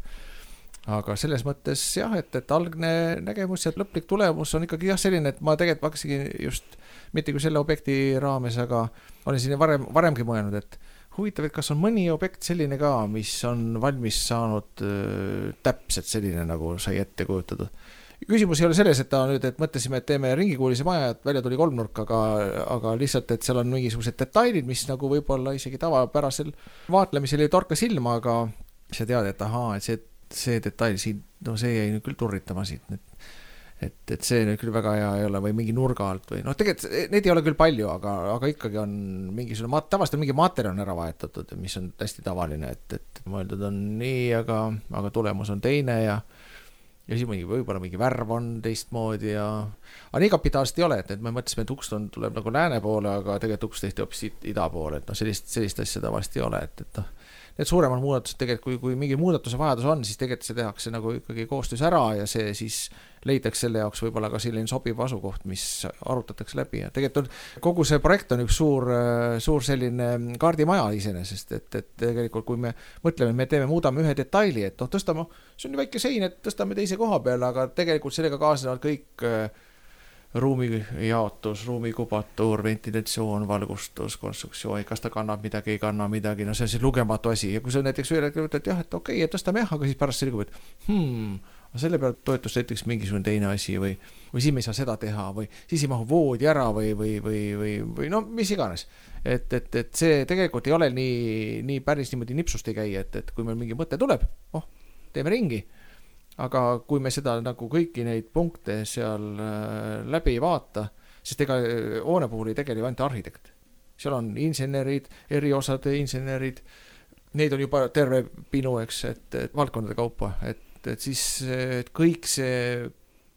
Aga selles mõttes jah, et, et algne nägemus ja lõplik tulemus on ikkagi jah selline, et ma tegelikult hakkasingi just mitte kui selle objekti raames, aga olen siin varem, varemgi mõelnud, et huvitav, et kas on mõni objekt selline ka, mis on valmis saanud äh, täpselt selline, nagu sai ette kujutatud. Küsimus ei ole selles, et ta nüüd, et mõtlesime, et teeme ringikuulise maja, et välja tuli kolmnurk, aga, aga lihtsalt, et seal on mingisugused detailid, mis nagu võib-olla isegi tavapärasel vaatlemisel ei torka silma, aga sa tead, et ahaa, et see, see detail siin, no see jäi nüüd küll turritama siit, et, et, et see nüüd küll väga hea ei ole või mingi nurga alt või noh, tegelikult neid ei ole küll palju, aga, aga ikkagi on mingisugune, tavaliselt on mingi materjal on ära vaetatud, mis on hästi tavaline, et, et mõeldud on nii, aga, aga tulemus on teine ja ja siis mingi, võib-olla mingi värv on teistmoodi ja aga nii kapitaalselt ei ole, et, et me mõtlesime, et uks on, tuleb nagu lääne poole, aga tegelikult uks tehti hoopis ida poole, et noh, sellist, sellist asja tavaliselt ei ole, et, et noh, need suuremad muudatused tegelikult, kui, kui mingi muudatuse vajadus on, siis tegelikult see tehakse nagu ikkagi koostöös ära ja see siis leitakse selle jaoks võib-olla ka selline sobiv asukoht, mis arutatakse läbi ja tegelikult on, kogu see projekt on üks suur, suur selline kaardimaja iseenesest, et, et tegelikult kui me mõtleme, me teeme, muudame ühe detaili, et noh, tõstame, see on nii väike sein, et tõstame teise koha peale, aga tegelikult sellega kaasnevad kõik ruumi jaotus, ruumi kubatur, ventilatsioon, valgustus, konstruktsioon, kas ta kannab midagi, ei kanna midagi, no see on siis lugematu asi ja kui sa näiteks üle ütled, et jah, et okei, et tõstame jah, aga siis pärast selgub, et hmm, selle peale toetus näiteks mingisugune teine asi või, või siin me ei saa seda teha või siis ei mahu voodi ära või, või, või, või, või no mis iganes. Et, et, et see tegelikult ei ole nii, nii päris niimoodi nipsust ei käi, et, et kui meil mingi mõte tuleb, oh, teeme ringi. Aga kui me seda nagu kõiki neid punkte seal läbi ei vaata, sest ega hoone puhul ei tegele ainult arhitekt. Seal on insenerid, eriosade insenerid, neid on juba terve pinu, eks, et, et valdkondade kaupa, et, et siis et kõik see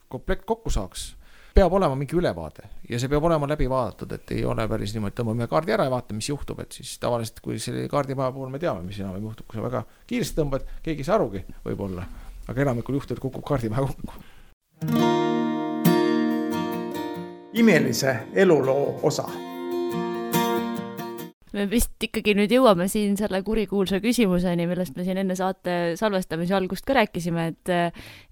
komplekt kokku saaks, peab olema mingi ülevaade ja see peab olema läbi vaadatud, et ei ole päris niimoodi, tõmbame kaardi ära ja vaatame, mis juhtub, et siis tavaliselt, kui selle kaardimaja puhul me teame, mis enam juhtub, kui sa väga kiiresti tõmbad, keegi ei saa arugi võib-olla. Aga enamikul juhtudel kukub kaardimaja kokku. Imelise eluloo osa. Me vist ikkagi nüüd jõuame siin selle kurikuulsa küsimuseni, millest me siin enne saate salvestamise algust ka rääkisime, et,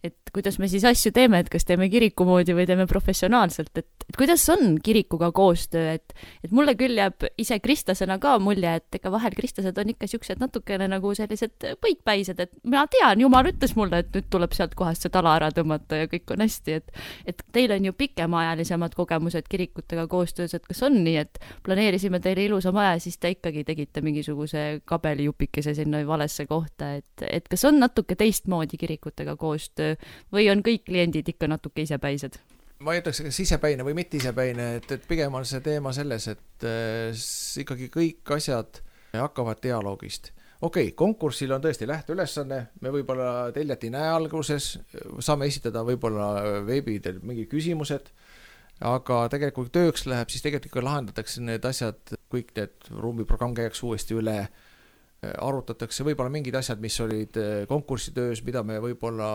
et kuidas me siis asju teeme, et kas teeme kiriku moodi või teeme professionaalselt, et, et kuidas on kirikuga koostöö, et, et mulle küll jääb ise kristlasena ka mulje, et ega vahel kristlased on ikka siuksed natukene nagu sellised põikpäised, et mina tean, Jumal ütles mulle, et nüüd tuleb sealt kohast see tala ära tõmmata ja kõik on hästi, et, et teil on ju pikemaajalisemad kogemused kirikutega koostöös, et kas on nii, et planeerisime teile ilusa maja, siis te ikkagi tegite mingisuguse kabelijupikese sinna valesse kohta, et, et kas on natuke teistmoodi kirikutega koostöö või on kõik kliendid ikka natuke isepäised? Ma ei ütleks, kas isepäine või mitte isepäine, et, et pigem on see teema selles, et äh, ikkagi kõik asjad hakkavad dialoogist. Okei, okay, konkursil on tõesti lähteülesanne, me võib-olla teljat ei näe alguses, saame esitada võib-olla veebidel mingi küsimused, aga tegelikult tööks läheb, siis tegelikult ikka lahendatakse need asjad, kõik need ruumiprogramm käiaks uuesti üle, arutatakse võib-olla mingid asjad, mis olid konkursitöös, mida me võib-olla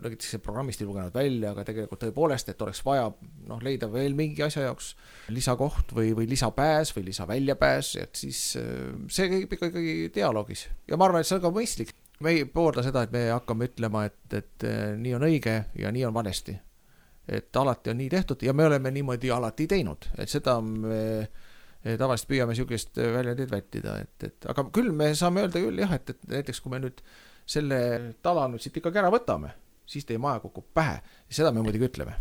näiteks programmist ei lugenud välja, aga tegelikult tõepoolest, et oleks vaja noh, leida veel mingi asja jaoks lisakoht või, või lisapääs või lisaväljapääs, et siis see käib ikkagi dialoogis. Ja ma arvan, et see on ka mõistlik. Me ei poolda seda, et me hakkame ütlema, et, et nii on õige ja nii on valesti. Et alati on nii tehtud ja me oleme niimoodi alati teinud, et seda me tavaliselt püüame sihukest väljendit vältida, et, et aga küll me saame öelda küll jah, et, et näiteks kui me nüüd selle tala nüüd siit ikkagi ära võtame, siis teie maja kukub pähe, seda me muidugi ütleme.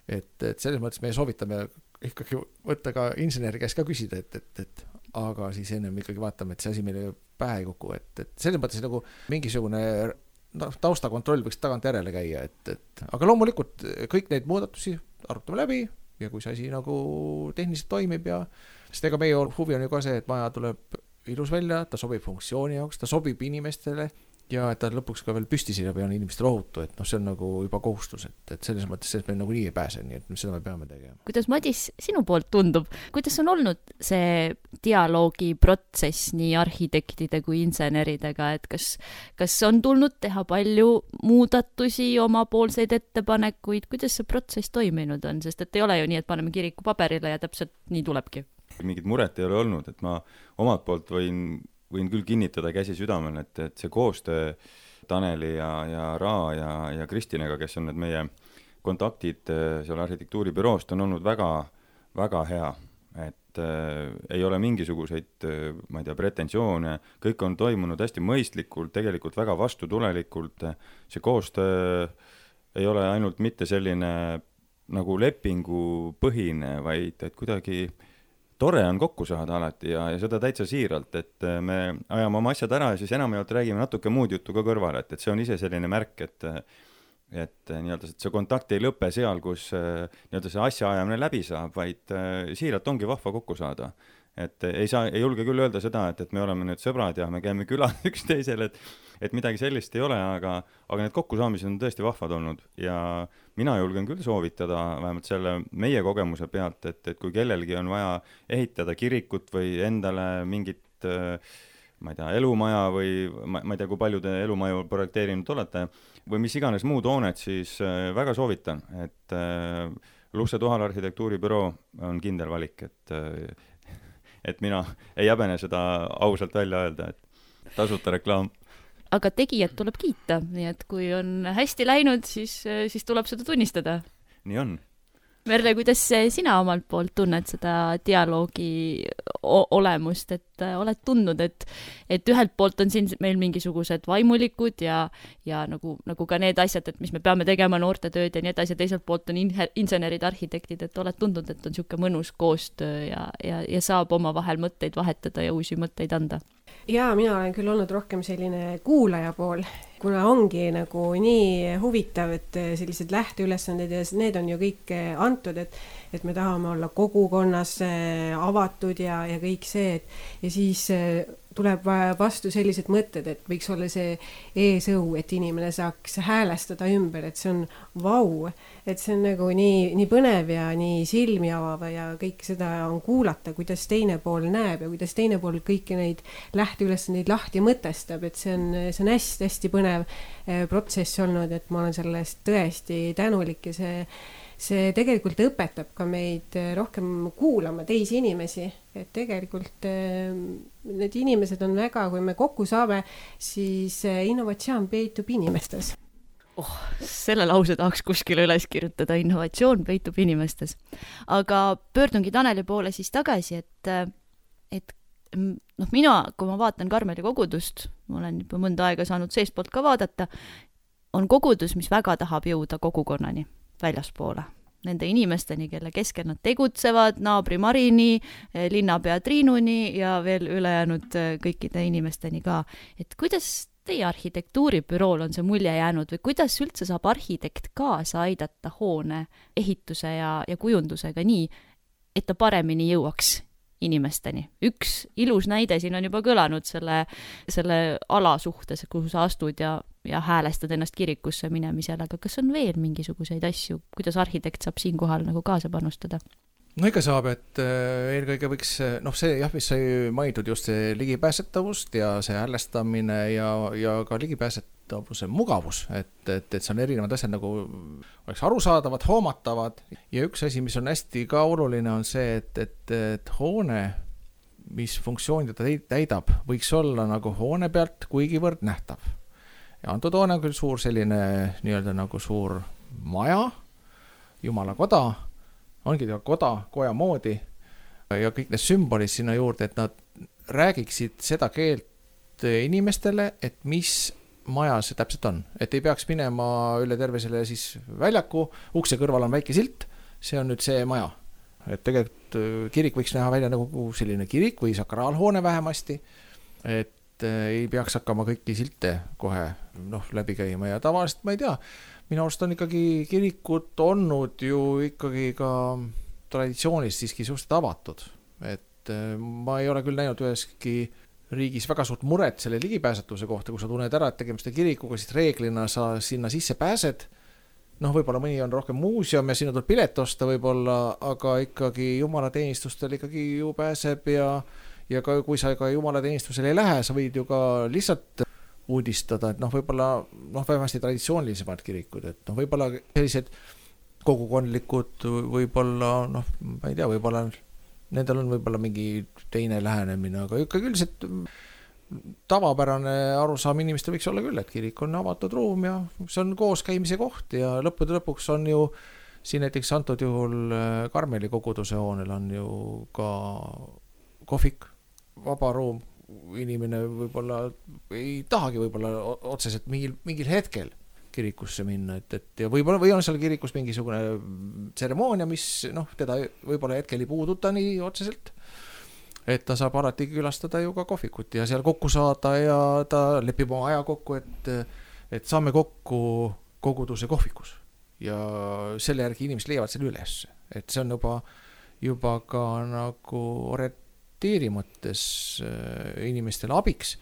Et, et selles mõttes me soovitame ikkagi võtta ka inseneri käest ka küsida, et, et, et aga siis ennem ikkagi vaatame, et see asi meile pähe ei kuku, et, et selles mõttes nagu mingisugune no, taustakontroll võiks tagant järele käia, et, et aga loomulikult kõik neid muudatusi arutame läbi ja kui see asi nagu tehniliselt toimib ja sest ega meie huvi on ju ka see, et maja tuleb ilus välja, ta sobib funktsiooni jaoks, ta sobib inimestele ja et ta lõpuks ka veel püsti siia peal inimestele ohutu, et noh, see on nagu juba kohustus, et, et selles mõttes sellest me nagu nii ei pääse, nii et seda me peame tegema. Kuidas Madis sinu poolt tundub, kuidas on olnud see dialoogiprotsess nii arhitektide kui inseneridega, et kas, kas on tulnud teha palju muudatusi, omapoolseid ettepanekuid, kuidas see protsess toiminud on, sest et ei ole ju nii, et paneme kiriku paberile ja täpselt nii tulebki. Mingit muret ei ole olnud, et ma omalt poolt võin, võin küll kinnitada käsi südamel, et, et see koostöö Taneli ja, ja Raa ja, ja Kristinega, kes on need meie kontaktid seal arhitektuuribüroost, on olnud väga, väga hea, et äh, ei ole mingisuguseid, ma ei tea, pretensioone, kõik on toimunud hästi mõistlikult, tegelikult väga vastutulelikult, see koostöö ei ole ainult mitte selline nagu lepingupõhine, vaid et kuidagi tore on kokku saada alati ja, ja seda täitsa siiralt, et me ajame oma asjad ära ja siis enamjaolt räägime natuke muud juttu ka kõrval, et, et see on ise selline märk, et, et nii-öelda see kontakt ei lõpe seal, kus nii-öelda see asja ajamine läbi saab, vaid siiralt ongi vahva kokku saada. Et ei saa, ei julge küll öelda seda, et, et me oleme nüüd sõbrad ja me käime külas üksteisel, et, et midagi sellist ei ole, aga, aga need kokkusaamised on tõesti vahvad olnud ja mina julgen küll soovitada vähemalt selle meie kogemuse pealt, et, et kui kellelgi on vaja ehitada kirikut või endale mingit, ma ei tea, elumaja või ma, ma ei tea, kui palju te elumaju projekteerinud olete või mis iganes muud hoonet, siis väga soovitan, et Lusse Tuhal arhitektuuribüroo on kindel valik, et et mina ei jäbene seda ausalt välja öelda, et tasuta reklaam. Aga tegijad tuleb kiita, nii et kui on hästi läinud, siis, siis tuleb seda tunnistada. Nii on. Merle, kuidas sina omalt poolt tunned seda dialoogi olemust, et oled tundnud, et, et ühelt poolt on siin meil mingisugused vaimulikud ja, ja nagu, nagu ka need asjad, et mis me peame tegema noorte tööd ja nii edasi, teiselt poolt on insenerid, arhitektid, et oled tundnud, et on siuke mõnus koostöö ja, ja, ja saab oma vahel mõtteid vahetada ja uusi mõtteid anda? Jaa, mina olen küll olnud rohkem selline kuulaja pool, kuna ongi nagu nii huvitav, et sellised lähteülesanded ja need on ju kõik antud, et, et me tahame olla kogukonnas avatud ja, ja kõik see, et ja siis tuleb vastu sellised mõtted, et võiks olla see eesõu, et inimene saaks häälestada ümber, et see on vau, et see on nagu nii, nii põnev ja nii silmi avav ja kõik seda on kuulata, kuidas teine pool näeb ja kuidas teine pool kõiki neid lähteülesandeid lahti mõtestab, et see on, see on hästi-hästi põnev protsess olnud, et ma olen sellest tõesti tänulik ja see see tegelikult õpetab ka meid rohkem kuulama teisi inimesi, et tegelikult need inimesed on väga, kui me kokku saame, siis innovatsioon peitub inimestes. Oh, selle lause tahaks kuskile üles kirjutada, innovatsioon peitub inimestes. Aga pöördungi Taneli poole siis tagasi, et, et noh, mina, kui ma vaatan Karmeli kogudust, ma olen juba mõnda aega saanud seestpoolt ka vaadata, on kogudus, mis väga tahab jõuda kogukonnani väljaspoole. Nende inimesteni, kelle keskel nad tegutsevad, naabri Marini, linnapea Triinuni ja veel ülejäänud kõikide inimesteni ka. Et kuidas teie arhitektuuribürool on see mulje jäänud või kuidas üldse saab arhitekt kaasa aidata hoone ehituse ja, ja kujundusega nii, et ta paremini jõuaks inimesteni? Üks ilus näide siin on juba kõlanud selle, selle ala suhtes, kuhu sa astud ja, ja häälestad ennast kirikusse minemisel, aga kas on veel mingisuguseid asju, kuidas arhitekt saab siinkohal nagu kaasa panustada? no ikka saab, et eelkõige võiks, noh see jah, mis sai mainitud just see ligipääsetavust ja see häälestamine ja, ja ka ligipääsetavuse mugavus, et, et, et see on erinevad asjad nagu oleks arusaadavad, hoomatavad ja üks asi, mis on hästi ka oluline, on see, et, et, et hoone, mis funktsiooni ta täidab, võiks olla nagu hoone pealt kuigivõrd nähtav. Ja antud hoone on küll suur selline nii-öelda nagu suur maja, Jumala koda, ongi ta koda, koja moodi ja kõik need sümbolid sinna juurde, et nad räägiksid seda keelt inimestele, et mis maja see täpselt on. Et ei peaks minema üle terve selle siis väljaku, ukse kõrval on väike silt, see on nüüd see maja. Et tegelikult kirik võiks näha välja nagu selline kirik või sakraalhoone vähemasti, et ei peaks hakkama kõiki silte kohe noh, läbi käima ja tavaliselt ma ei tea, minu arust on ikkagi kirikud olnud ju ikkagi ka traditsioonist siiski suhteliselt avatud, et ma ei ole küll näinud üheski riigis väga suurt muret selle ligipääsetuse kohta, kui sa tunned ära, et tegemist kirikuga, siis reeglina sa sinna sisse pääsed, noh võib-olla mõni on rohkem muuseum ja sinna tuleb pilet osta võib-olla, aga ikkagi jumalateenistustel ikkagi ju pääseb ja, ja ka, kui sa ka jumalateenistusel ei lähe, sa võid ju ka lihtsalt uudistada, et noh, võib-olla noh, vähemasti traditsioonilisemad kirikud, et noh, võib-olla sellised kogukondlikud võib-olla, noh, ma ei tea, võib-olla nendel on võib-olla mingi teine lähenemine, aga ikkagi üldiselt tavapärane arusaam inimestel võiks olla küll, et kirik on avatud ruum ja see on kooskäimise koht ja lõppude lõpuks on ju siin näiteks antud juhul Karmeli koguduse hoonel on ju ka kohvik, vaba ruum, inimene võib-olla ei tahagi võib-olla otseselt mingil, mingil hetkel kirikusse minna, et, et ja võib-olla või on seal kirikus mingisugune tseremoonia, mis noh, teda võib-olla hetkel ei puuduta nii otseselt, et ta saab alati külastada ju ka kohvikut ja seal kokku saada ja ta lepib oma aja kokku, et, et saame kokku koguduse kohvikus ja selle järgi inimesed leiavad selle üles, et see on juba, juba ka nagu oret mõttes inimestele abiks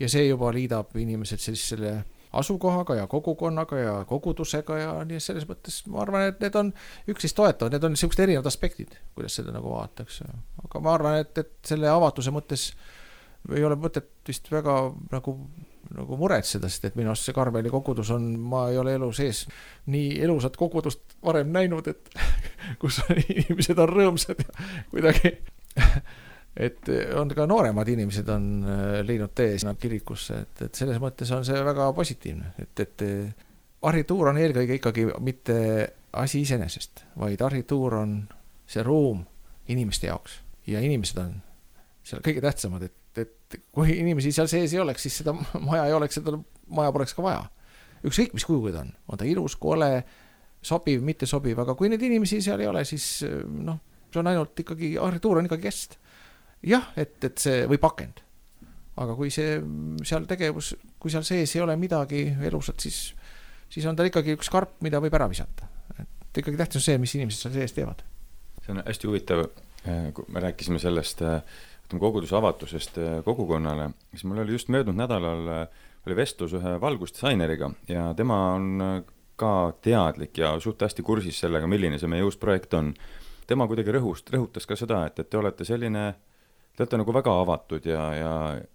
ja see juba liidab inimesed selle asukohaga ja kogukonnaga ja kogudusega ja nii selles mõttes ma arvan, et need on üksteist toetavad, need on niisugused erinevad aspektid, kuidas seda nagu vaataks, aga ma arvan, et, et selle avatuse mõttes ei ole mõtet vist väga nagu, nagu muretseda, sest et minu arust see Karmeli kogudus on, ma ei ole elu sees nii elusat kogudust varem näinud, et kus inimesed on rõõmsad ja kuidagi et on ka nooremad inimesed on leidnud tee sinna kirikusse, et, et selles mõttes on see väga positiivne, et, et arhituur on eelkõige ikkagi mitte asi iseenesest, vaid arhituur on see ruum inimeste jaoks ja inimesed on seal kõige tähtsamad, et, et kui inimesi seal sees ei oleks, siis seda maja ei oleks, seda maja poleks ka vaja. Ükskõik mis kujuga ta on, on ta ilus, kole, sobiv, mitte sobiv, aga kui neid inimesi seal ei ole, siis noh, see on ainult ikkagi, arhituur on ikkagi kest. Jah, et, et see või pakend. Aga kui see seal tegevus, kui seal sees ei ole midagi elusat, siis, siis on ta ikkagi üks karp, mida võib ära visata. Et ikkagi tähtis on see, mis inimesed seal sees teevad. See on hästi huvitav, kui me rääkisime sellest koguduse avatusest kogukonnale, siis mul oli just möödunud nädalal oli vestlus ühe valgusdisaineriga ja tema on ka teadlik ja suht hästi kursis sellega, milline see meie uus projekt on. Tema kuidagi rõhust, rõhutas ka seda, et, et te olete selline Te olete nagu väga avatud ja, ja,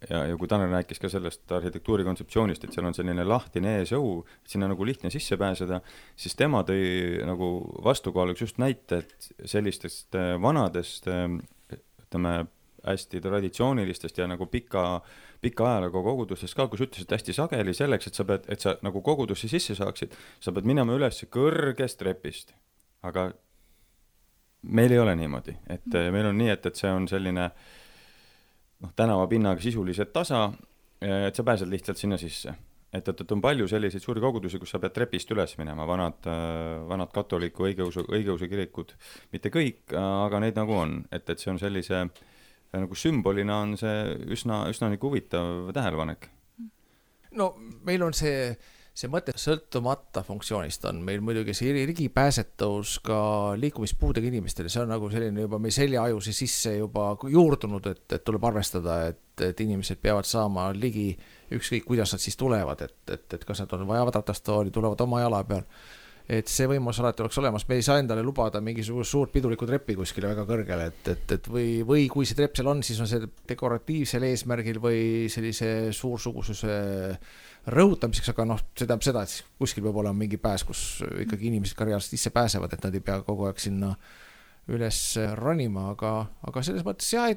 ja, ja kui Tanel rääkis ka sellest arhitektuuri kontseptsioonist, et seal on selline lahtine eesõu, et sinna nagu lihtne sisse pääseda, siis tema tõi nagu vastukohaluks just näite, et sellistest vanadest, ütleme, hästi traditsioonilistest ja nagu pika, pika ajalugu kogudustest ka, kus ütlesid hästi sageli selleks, et sa pead, et sa nagu kogudusse sisse saaksid, sa pead minema üles kõrgest trepist. Aga meil ei ole niimoodi, et meil on nii, et, et see on selline noh, tänava pinnaga sisuliselt tasa, et sa pääsed lihtsalt sinna sisse. Et, et on palju selliseid suuri kogudusi, kus sa pead trepist üles minema, vanad, vanad katoliku õigeusu, õigeusu kirikud, mitte kõik, aga neid nagu on, et, et see on sellise nagu sümbolina on see üsna, üsna nagu huvitav tähelepanek. No meil on see see mõte sõltumata funktsioonist on meil muidugi see ligipääsetavus ka liikumispuudega inimestele, see on nagu selline juba meie seljaajuse sisse juba juurdunud, et, et tuleb arvestada, et, et inimesed peavad saama ligi ükskõik, kuidas nad siis tulevad, et, et, et kas nad on vajavad ratastooli, tulevad oma jala peal. et see võimalus alati oleks olemas, me ei saa endale lubada mingisugust suurt pidulikku treppi kuskile väga kõrgele, et, et, et või, või kui see trepp seal on, siis on see dekoratiivsel eesmärgil või sellise suursugususe rõhutamiseks, aga noh, see tähendab seda, et kuskil peab olema mingi pääs, kus ikkagi inimesed ka reaalselt isse pääsevad, et nad ei pea kogu aeg sinna üles ronima, aga, aga selles mõttes jah,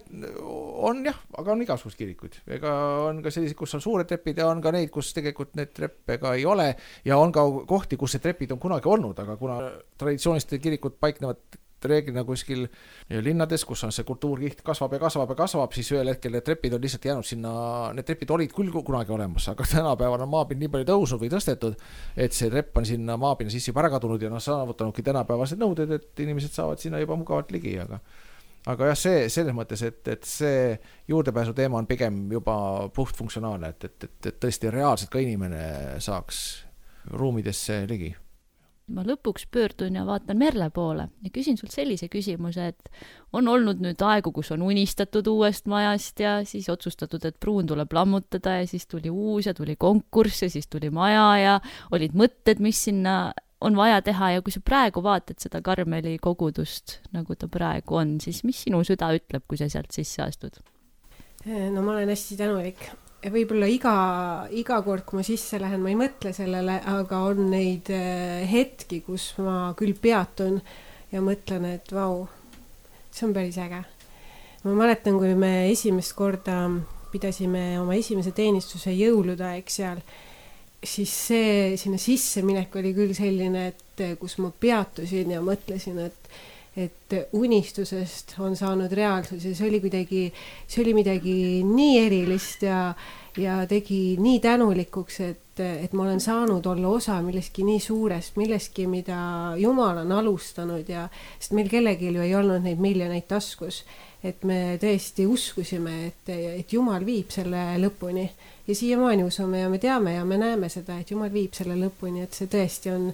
on jah, aga on igasugust kirikuid. Ega on ka sellised, kus on suured trepid ja on ka neid, kus tegelikult need treppega ei ole ja on ka kohti, kus see trepid on kunagi olnud, aga kuna traditsiooniliste kirikud paiknevad reeglina kuskil linnades, kus on see kultuurkiht kasvab ja kasvab ja kasvab, siis ühel hetkel need trepid on lihtsalt jäänud sinna, need trepid olid küll kunagi olemas, aga tänapäeval on maapind nii palju tõusnud või tõstetud, et see trepp on sinna maapinna sisse juba ära kadunud ja noh, saavutanudki tänapäevased nõuded, et inimesed saavad sinna juba mugavalt ligi, aga aga jah, see selles mõttes, et, et see juurdepääsu teema on pigem juba puht funktsionaalne, et, et, et, et tõesti reaalselt ka inimene saaks ruumidesse ligi. Ma lõpuks pöördun ja vaatan Merle poole ja küsin sult sellise küsimuse, et on olnud nüüd aegu, kus on unistatud uuest majast ja siis otsustatud, et pruun tuleb lammutada ja siis tuli uus ja tuli konkurss ja siis tuli maja ja olid mõtted, mis sinna on vaja teha ja kui sa praegu vaatad seda Karmeli kogudust, nagu ta praegu on, siis mis sinu süda ütleb, kui sa sealt sisse astud? No ma olen hästi tänulik. Võib-olla iga, iga kord, kui ma sisse lähen, ma ei mõtle sellele, aga on neid hetki, kus ma küll peatun ja mõtlen, et vau, see on päris äge. Ma mäletan, kui me esimest korda pidasime oma esimese teenistuse jõuludaeg seal, siis see sinna sisse minek oli küll selline, et kus ma peatusin ja mõtlesin, et et unistusest on saanud reaalsus ja see oli kuidagi, see oli midagi nii erilist ja, ja tegi nii tänulikuks, et, et ma olen saanud olla osa millestki nii suurest, millestki, mida Jumal on alustanud ja sest meil kellelgi ju ei olnud neid miljoneid taskus, et me tõesti uskusime, et, et Jumal viib selle lõpuni ja siiamaani usume ja me teame ja me näeme seda, et Jumal viib selle lõpuni, et see tõesti on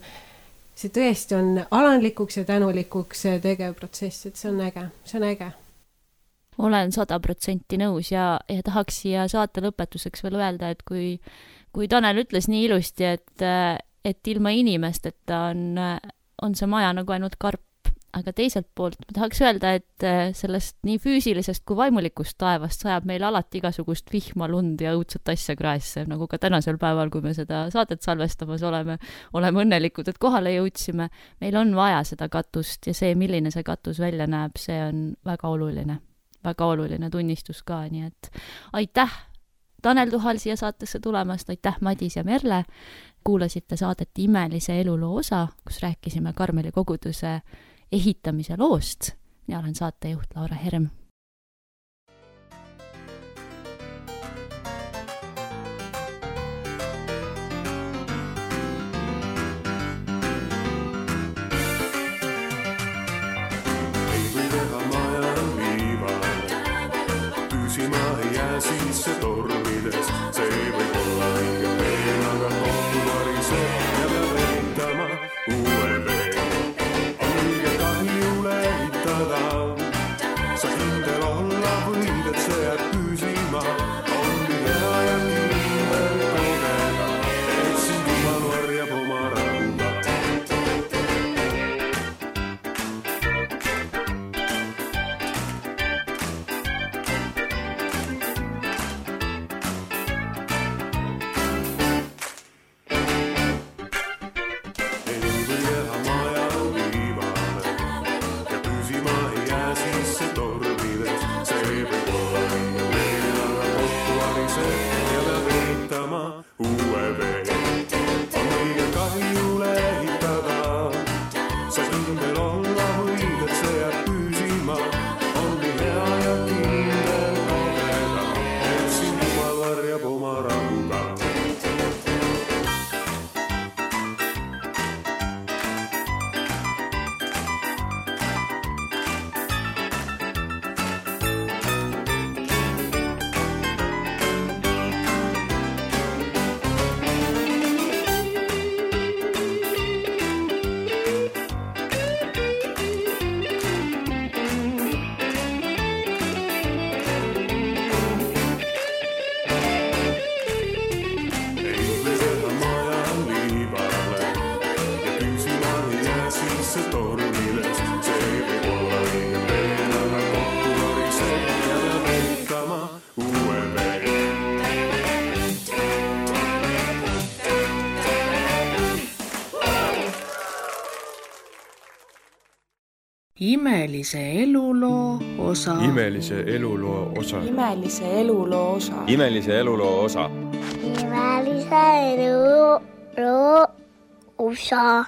see tõesti on alandlikuks ja tänulikuks tegev protsess, et see on äge, see on äge. Olen sada protsenti nõus ja, ja tahaks siia saate lõpetuseks veel öelda, et kui, kui Tanel ütles nii ilusti, et, et ilma inimesteta on, on see maja nagu ainult karp, aga teiselt poolt ma tahaks öelda, et sellest nii füüsilisest kui vaimulikust taevast sajab meil alati igasugust vihma, lund ja õudset asja kraesse, nagu ka tänasel päeval, kui me seda saadet salvestamas oleme, oleme õnnelikud, et kohale jõudsime. Meil on vaja seda katust ja see, milline see katus välja näeb, see on väga oluline, väga oluline tunnistus ka, nii et aitäh Tanel Tuhal siia saatesse tulemast, aitäh Madis ja Merle, kuulasite saadet Imelise eluloo osa, kus rääkisime Karmeli koguduse ehitamise loost. Mina olen saatejuht Laura Herm. Ei või teha maja viival, püsima ei jää sisse tormides, see võib olla õige veel, aga kohtu variseb ja peab ehitama uue veel. Sa kindel olla võid, et see jääb püsima, on nii hea ja kindel kogeda, et sind Jumal varjab oma rahuga. Ei või jääda maja viivale ja püsima ei jää sisse tormides, see võib olla õige veel, aga kohtu variseb ja peab ehitama uue veel. On õige kahjule ehitada, sa kindel olla võid, et see jääb püsima, on nii hea ja kindel kogeda, et sind Jumal varjab oma rahuga. imelise eluloo osa. Imelise eluloo osa. Imelise eluloo osa. Imelise eluloo osa. Imelise eluloo osa.